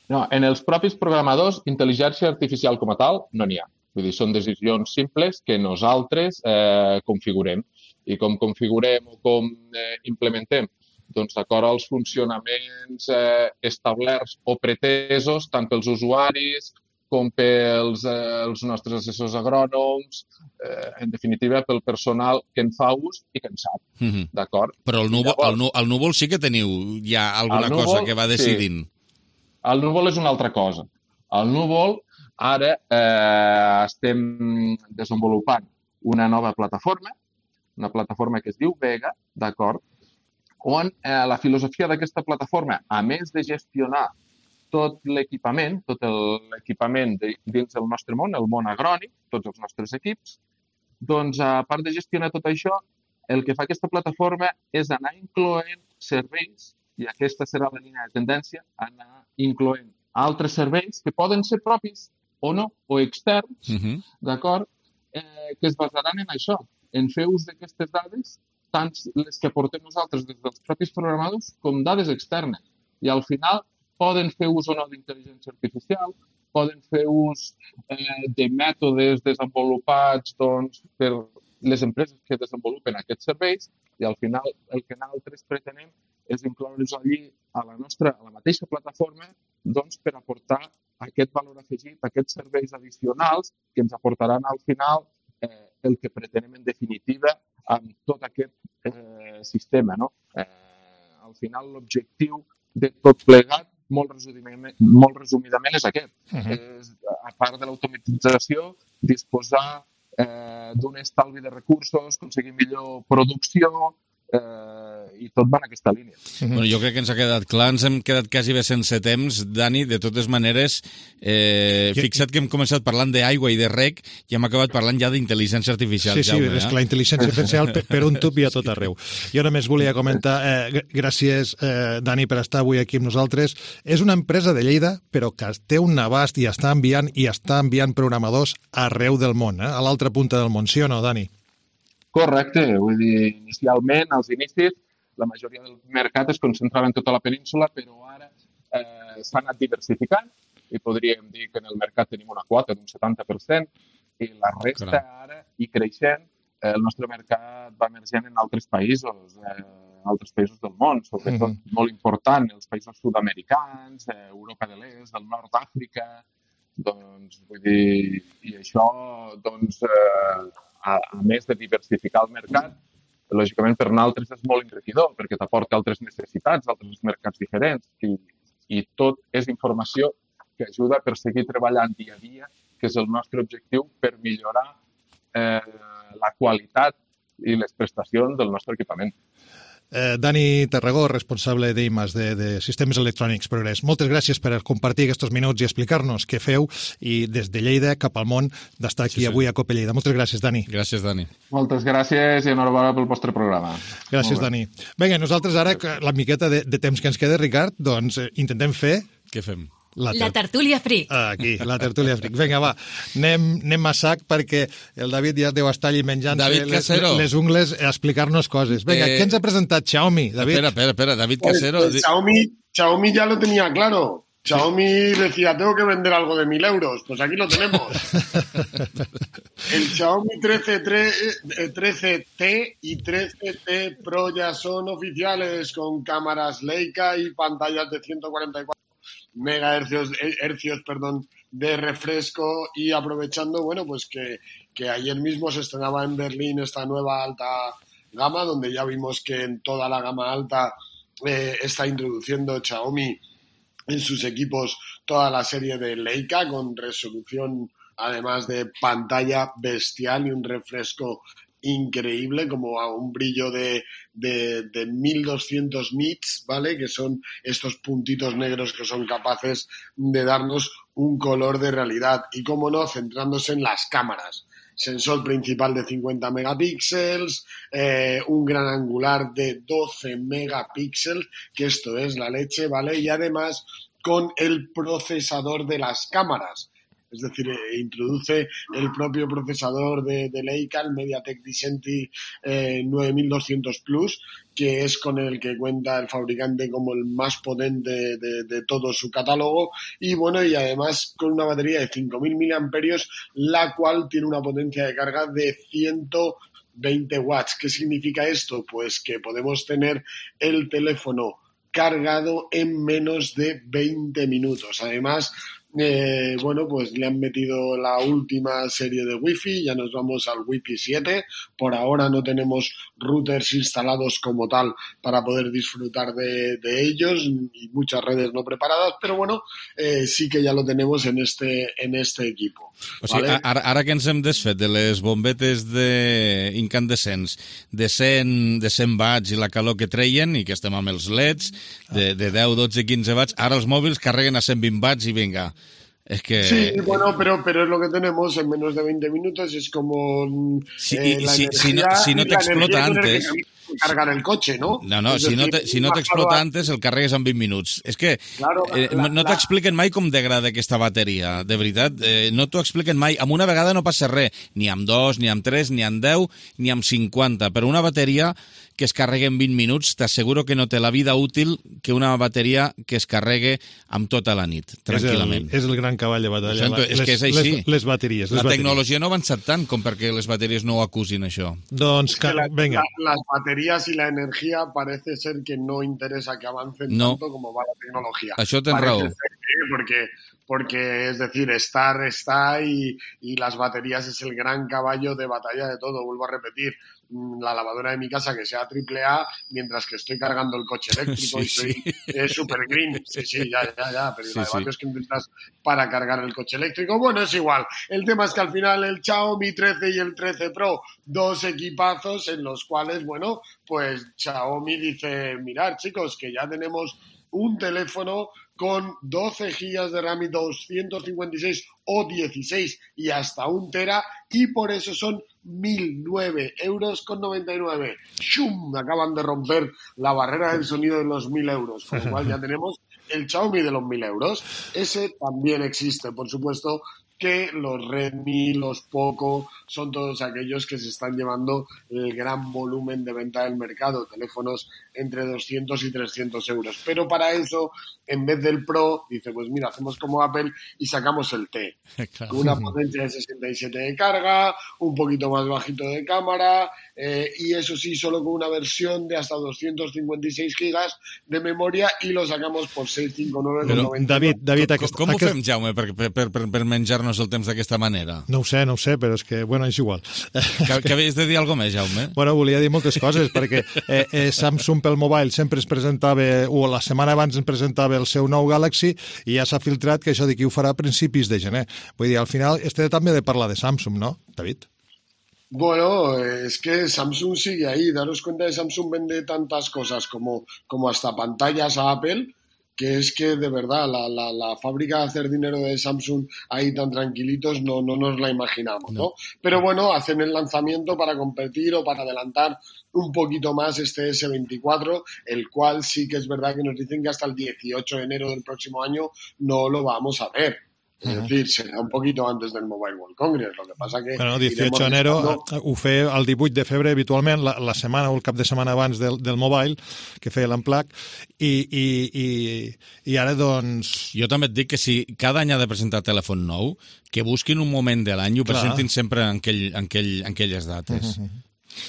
No, en els propis programadors, intel·ligència artificial com a tal, no n'hi ha. Vull dir, són decisions simples que nosaltres eh, configurem. I com configurem o com eh, implementem? Doncs d'acord als funcionaments eh, establerts o pretesos, tant pels usuaris com pels eh, els nostres assessors agrònoms, eh, en definitiva pel personal que en fa ús i que en sap, mm-hmm. d'acord? Però el núvol, Llavors, el, nu, el núvol sí que teniu ja alguna núvol, cosa que va decidint. Sí. El núvol és una altra cosa. El núvol, ara eh, estem desenvolupant una nova plataforma, una plataforma que es diu Vega, d'acord? On eh, la filosofia d'aquesta plataforma, a més de gestionar tot l'equipament, tot l'equipament de, dins del nostre món, el món agrònic, tots els nostres equips, doncs, a part de gestionar tot això, el que fa aquesta plataforma és anar incloent serveis, i aquesta serà la línia de tendència, anar incloent altres serveis que poden ser propis o no, o externs, uh-huh. d'acord, eh, que es basaran en això, en fer ús d'aquestes dades, tant les que aportem nosaltres des dels propis programadors com dades externes. I al final poden fer ús o no d'intel·ligència artificial, poden fer ús eh, de mètodes desenvolupats doncs, per les empreses que desenvolupen aquests serveis i al final el que nosaltres pretenem és incloure's allí a la nostra, a la mateixa plataforma, doncs per aportar aquest valor afegit, aquests serveis addicionals que ens aportaran al final eh, el que pretenem en definitiva amb tot aquest eh, sistema, no? Eh, al final l'objectiu de tot plegat, molt resumidament, molt resumidament és aquest. Uh-huh. És, a part de l'automatització, disposar eh, d'un estalvi de recursos, aconseguir millor producció, eh, i tot va en aquesta línia. Uh-huh. Bueno, jo crec que ens ha quedat clar, ens hem quedat quasi bé sense temps. Dani, de totes maneres, eh, jo... fixa't que hem començat parlant d'aigua i de rec i hem acabat parlant ja d'intel·ligència artificial. Sí, sí, Jaume, és eh? que la intel·ligència artificial per, per un tub i a tot arreu. Jo només volia comentar, eh, gràcies, eh, Dani, per estar avui aquí amb nosaltres. És una empresa de Lleida, però que té un abast i està enviant i està enviant programadors arreu del món, eh? A l'altra punta del món, sí o no, Dani? Correcte, vull dir, inicialment, als inicis, la majoria del mercat es concentrava en tota la península, però ara eh, s'ha anat diversificant i podríem dir que en el mercat tenim una quota d'un setanta per cent i la resta Caram. Ara, i creixent, eh, el nostre mercat va emergent en altres països, eh, altres països del món, sobretot mm-hmm. molt important, els països sud-americans, eh, Europa de l'Est, del nord d'Àfrica, doncs, vull dir, i això, doncs, eh, a, a més de diversificar el mercat, lògicament per nosaltres és molt enriquidor perquè t'aporta altres necessitats, altres mercats diferents i, i tot és informació que ajuda per seguir treballant dia a dia, que és el nostre objectiu per millorar eh, la qualitat i les prestacions del nostre equipament. Eh, Dani Tarragó, responsable d'I M A S de, de Sistemes Electrònics Progrés. Moltes gràcies per compartir aquests minuts i explicar-nos què feu i des de Lleida cap al món d'estar aquí sí, sí. avui a Cope Lleida. Moltes gràcies, Dani. Gràcies, Dani. Moltes gràcies i enhorabona pel vostre programa. Gràcies, Dani. Vinga, nosaltres ara, la miqueta de, de temps que ens queda, Ricard, doncs eh, intentem fer... Què fem? La, ter... la tertúlia fric. Aquí, la tertúlia fric. Vinga, va, anem, anem a sac perquè el David ja deu estar allí menjant-se les, les ungles a explicar-nos coses. Vinga, eh... què ens ha presentat Xiaomi, David? Espera, espera, espera, David Casero... Pues, Xiaomi, Xiaomi ya lo tenía claro. Xiaomi decía, tengo que vender algo de mil euros. Pues aquí lo tenemos. El Xiaomi trece T y trece T Pro ya son oficiales con cámaras Leica y pantallas de ciento cuarenta y cuatro megahercios hercios, perdón, de refresco y aprovechando, bueno, pues que, que ayer mismo se estrenaba en Berlín esta nueva alta gama, donde ya vimos que en toda la gama alta eh, está introduciendo Xiaomi en sus equipos toda la serie de Leica con resolución, además de pantalla bestial y un refresco increíble, como a un brillo de, de, de mil doscientos nits, ¿vale? Que son estos puntitos negros que son capaces de darnos un color de realidad. Y, cómo no, centrándose en las cámaras. Sensor principal de cincuenta megapíxeles, eh, un gran angular de doce megapíxeles, que esto es la leche, ¿vale? Y además con el procesador de las cámaras. Es decir, eh, introduce el propio procesador de, de Leica, el MediaTek Dimensity eh, nueve mil doscientos Plus, que es con el que cuenta el fabricante como el más potente de, de todo su catálogo. Y bueno, y además con una batería de cinco mil miliamperios, la cual tiene una potencia de carga de ciento veinte watts. ¿Qué significa esto? Pues que podemos tener el teléfono cargado en menos de veinte minutos. Además, Eh, bueno, pues le han metido la última serie de Wi-Fi, ya nos vamos al Wi-Fi siete. Por ahora no tenemos routers instalados como tal para poder disfrutar de, de ellos y muchas redes no preparadas, pero bueno, eh, sí que ya lo tenemos en este, en este equipo. O sigui, ¿vale? ara, ara que ens hem desfet de les bombetes de incandescents de cent, de cent watts i la calor que treien i que estem amb els leds de, de deu, dotze, quinze watts, ara els mòbils carreguen a cent vint watts i vinga. Es que... Sí, bueno, pero, pero es lo que tenemos en menos de veinte minutos, es como sí, eh, la si, energía, si, no, si no te explota antes... cargar el coche, ¿no? No, no, si, decir, no te, si no t'explota antes el carregues en vint minuts. És que claro, eh, la, no t'expliquen mai com degrada aquesta bateria, de veritat. Eh, no t'ho expliquen mai. Amb una vegada no passa res, ni amb dos, ni amb tres, ni amb deu, ni amb cinquanta. Però una bateria que es carregui en vint minuts, t'asseguro que no té la vida útil que una bateria que es carregue amb tota la nit, tranquil·lament. És el, és el gran cavall de batalla. Sento, és les, que és així. Les, les bateries. Les la bateries. tecnologia no ha avançat tant com perquè les bateries no ho acusin, això. Doncs, que, la, venga. La, las baterías y la energía parece ser que no interesa que avancen no. tanto como va la tecnología. Això tens parece raó. Ser que, porque, porque, es decir, estar está y, y las baterías es el gran caballo de batalla de todo. Vuelvo a repetir, la lavadora de mi casa que sea triple A, mientras que estoy cargando el coche eléctrico sí, y soy sí. eh, super green. Sí, sí, ya, ya, ya, pero sí, la de sí. es que necesitas para cargar el coche eléctrico. Bueno, es igual. El tema es que al final el Xiaomi trece y el trece Pro, dos equipazos en los cuales, bueno, pues Xiaomi dice, mirad chicos, que ya tenemos un teléfono con doce gigas de RAM y doscientos cincuenta y seis o dieciséis y hasta un tera, y por eso son mil nueve euros con noventa y nueve. ¡Shum! Acaban de romper la barrera del sonido de los mil euros, con lo cual ya tenemos el Xiaomi de los mil euros. Ese también existe, por supuesto, que los Redmi, los Poco, son todos aquellos que se están llevando el gran volumen de venta del mercado, teléfonos entre doscientos y trescientos euros. Pero para eso, en vez del Pro, dice, pues mira, hacemos como Apple y sacamos el T. Claro. Una potencia de sesenta y siete de carga, un poquito más bajito de cámara, eh, y eso sí, solo con una versión de hasta doscientos cincuenta y seis gigas de memoria, y lo sacamos por seiscientos cincuenta y nueve con noventa. David, David, com, aquest, com ho aquest... fem, Jaume, per, per, per, per menjar-nos el temps d'aquesta manera? No ho sé, no ho sé, però és que, bueno, és igual. Que, que havies de dir alguna més, Jaume? Bueno, volia dir moltes coses, perquè eh, eh, Samsung pel mobile sempre es presentava, o la setmana abans ens presentava el seu nou Galaxy, i ja s'ha filtrat que això d'aquí ho farà a principis de gener. Vull dir, al final, este també de parlar de Samsung, ¿no, David? Bueno, es que Samsung sigue ahí. Daros cuenta que Samsung vende tantas cosas como, como hasta pantallas a Apple, que es que de verdad la, la, la fábrica de hacer dinero de Samsung ahí tan tranquilitos no, no nos la imaginamos, ¿no? no. Pero bueno, hacen el lanzamiento para competir o para adelantar un poquito más este ese veinticuatro, el cual sí que es verdad que nos dicen que hasta el dieciocho de enero del próximo año no lo vamos a ver. Es decir, serà un poquito antes del Mobile World Congress, lo que pasa que... Bueno, dieciocho de enero ho feia el divuit de febrer habitualment, la, la setmana o el cap de setmana abans del, del Mobile, que feia l'Unplug, i, i, i, i ara, doncs... Jo també et dic que si cada any ha de presentar telèfon nou, que busquin un moment de l'any i ho presentin sempre en, aquell, en, aquell, en aquelles dates. Uh-huh.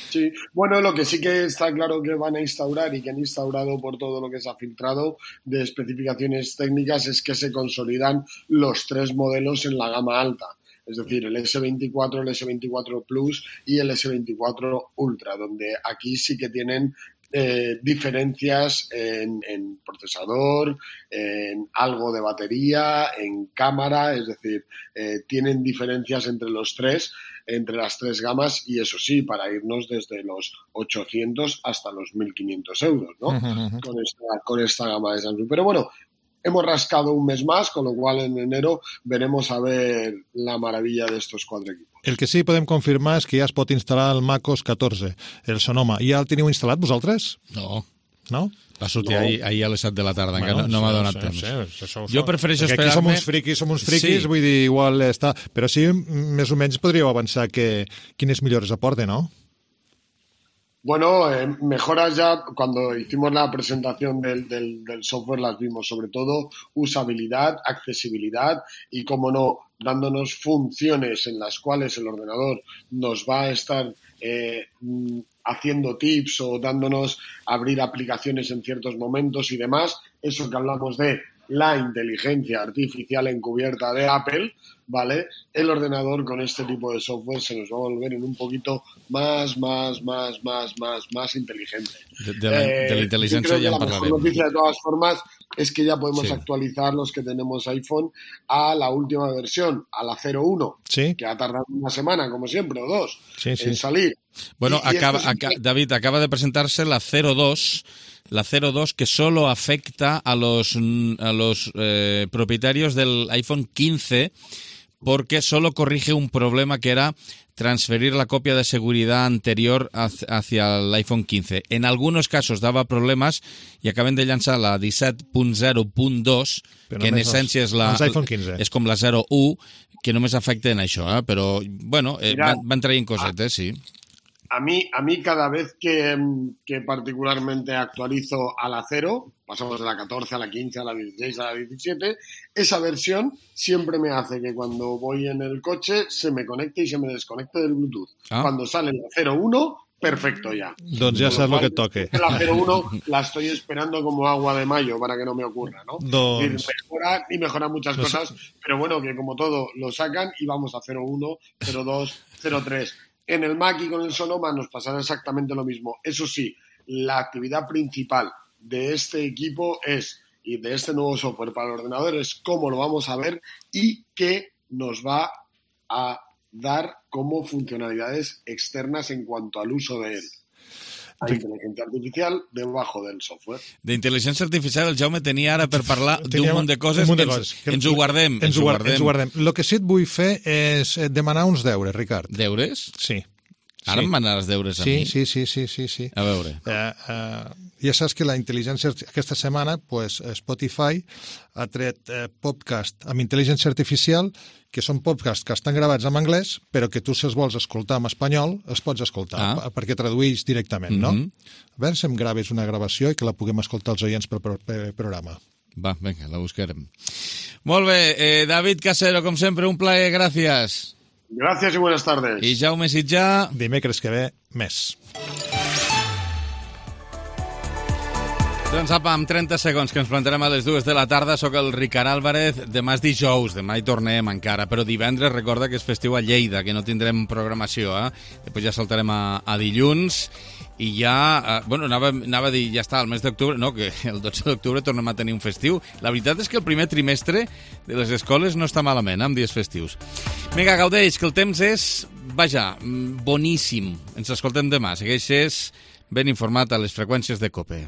Sí, bueno, lo que sí que está claro que van a instaurar y que han instaurado por todo lo que se ha filtrado de especificaciones técnicas es que se consolidan los tres modelos en la gama alta. Es decir, el ese veinticuatro, el ese veinticuatro Plus y el ese veinticuatro Ultra, donde aquí sí que tienen eh, diferencias en, en procesador, en algo de batería, en cámara, es decir, eh, tienen diferencias entre los tres, entre las tres gamas, y eso sí, para irnos desde los ochocientos hasta los mil quinientos euros, ¿no? Uh-huh. Con esta, con esta gama de Samsung. Pero bueno, hemos rascado un mes más, con lo cual en enero veremos a ver la maravilla de estos cuatro equipos. El que sí podem confirmar és que ja es pot instal·lar el MacOS catorze, el Sonoma. Ja el teniu instal·lat vosaltres? No. No? Va sortir no. ahir, ahir a les set de la tarda, bueno, encara no, no m'ha donat temps. Sí, sí, sí, jo prefereixo esperar-me... Aquí som uns friquis, som uns friquis, sí. Vull dir, igual està... Però sí, més o menys podríeu avançar que quines millores aporte, ¿no? Bueno, eh, mejoras ya, cuando hicimos la presentación del, del, del software las vimos, sobre todo usabilidad, accesibilidad y, como no, dándonos funciones en las cuales el ordenador nos va a estar eh, haciendo tips o dándonos abrir aplicaciones en ciertos momentos y demás. Eso que hablamos de la inteligencia artificial encubierta de Apple, ¿vale? El ordenador con este tipo de software se nos va a volver en un poquito más, más, más, más, más, más inteligente. De, de, la, eh, de la inteligencia ya en parlaremos. La mejor noticia de todas formas es que ya podemos sí. actualizar los que tenemos iPhone a la última versión, a la cero uno, sí. que ha tardado una semana, como siempre, o dos, sí, sí. en salir. Bueno, y, y acaba, es acá, David, acaba de presentarse la cero dos, la cero dos que solo afecta a los, a los eh, propietarios del iPhone quince, porque solo corrige un problema que era transferir la copia de seguridad anterior hacia el iPhone quince. En algunos casos daba problemas i acaben de llançar la disset punt zero punt dos, que en essència és, la, és com la zero u, que només afecten això, eh? Però, bueno, eh, van, van traient cosetes, sí. A mí, a mí cada vez que, que particularmente actualizo a la cero, pasamos de la catorce a la quince, a la dieciséis, a la diecisiete, esa versión siempre me hace que cuando voy en el coche se me conecte y se me desconecte del Bluetooth. Ah. Cuando sale la cero uno, perfecto ya. Doncs ja saps el que et toque. La cero uno la estoy esperando como agua de mayo para que no me ocurra, ¿no? Doncs... Y mejora, y mejora muchas doncs... cosas, pero bueno, que como todo lo sacan y vamos a cero uno, cero dos, cero tres. En el Mac y con el Sonoma nos pasará exactamente lo mismo. Eso sí, la actividad principal de este equipo es, y de este nuevo software para el ordenador, es cómo lo vamos a ver y qué nos va a dar como funcionalidades externas en cuanto al uso de él. Hay inteligencia artificial debajo del software. D'intel·ligència artificial el Jaume tenia ara per parlar d'un munt de coses, munt de que coses ens, que ens ho guardem. Ens, ens, ho guardem. ens ho guardem. El que sí et vull fer és demanar uns deures, Ricard. Deures? Sí. Ara sí. Em manaràs deures a sí, mi? Sí, sí, sí, sí, sí. A veure. Uh, uh, ja saps que la intel·ligència... Aquesta setmana pues, Spotify ha tret uh, podcast amb intel·ligència artificial, que són podcasts que estan gravats en anglès, però que tu, si els vols escoltar en espanyol, els pots escoltar, ah. perquè traduïs directament, no? Mm-hmm. A veure si em graves una gravació i que la puguem escoltar els oients per, per, per programa. Va, vinga, la buscarem. Molt bé, eh, David Casero, com sempre, un plaer, gràcies. Gracias y buenas tardes. I Jaume Sitjà. Dimecres que ve, més. Doncs apa, amb trenta segons que ens plantarem a les dues de la tarda. Soc el Ricard Álvarez. Demà és dijous, demà hi tornem encara, però divendres recorda que és festiu a Lleida, que no tindrem programació, eh? Després ja saltarem a, a dilluns i ja, eh, bueno, anava, anava a dir, ja està, el mes d'octubre, no, que el dotze d'octubre tornem a tenir un festiu. La veritat és que el primer trimestre de les escoles no està malament, amb dies festius. Vinga, gaudeix, que el temps és, vaja, boníssim. Ens escoltem demà. Segueixes ben informat a les freqüències de COPE.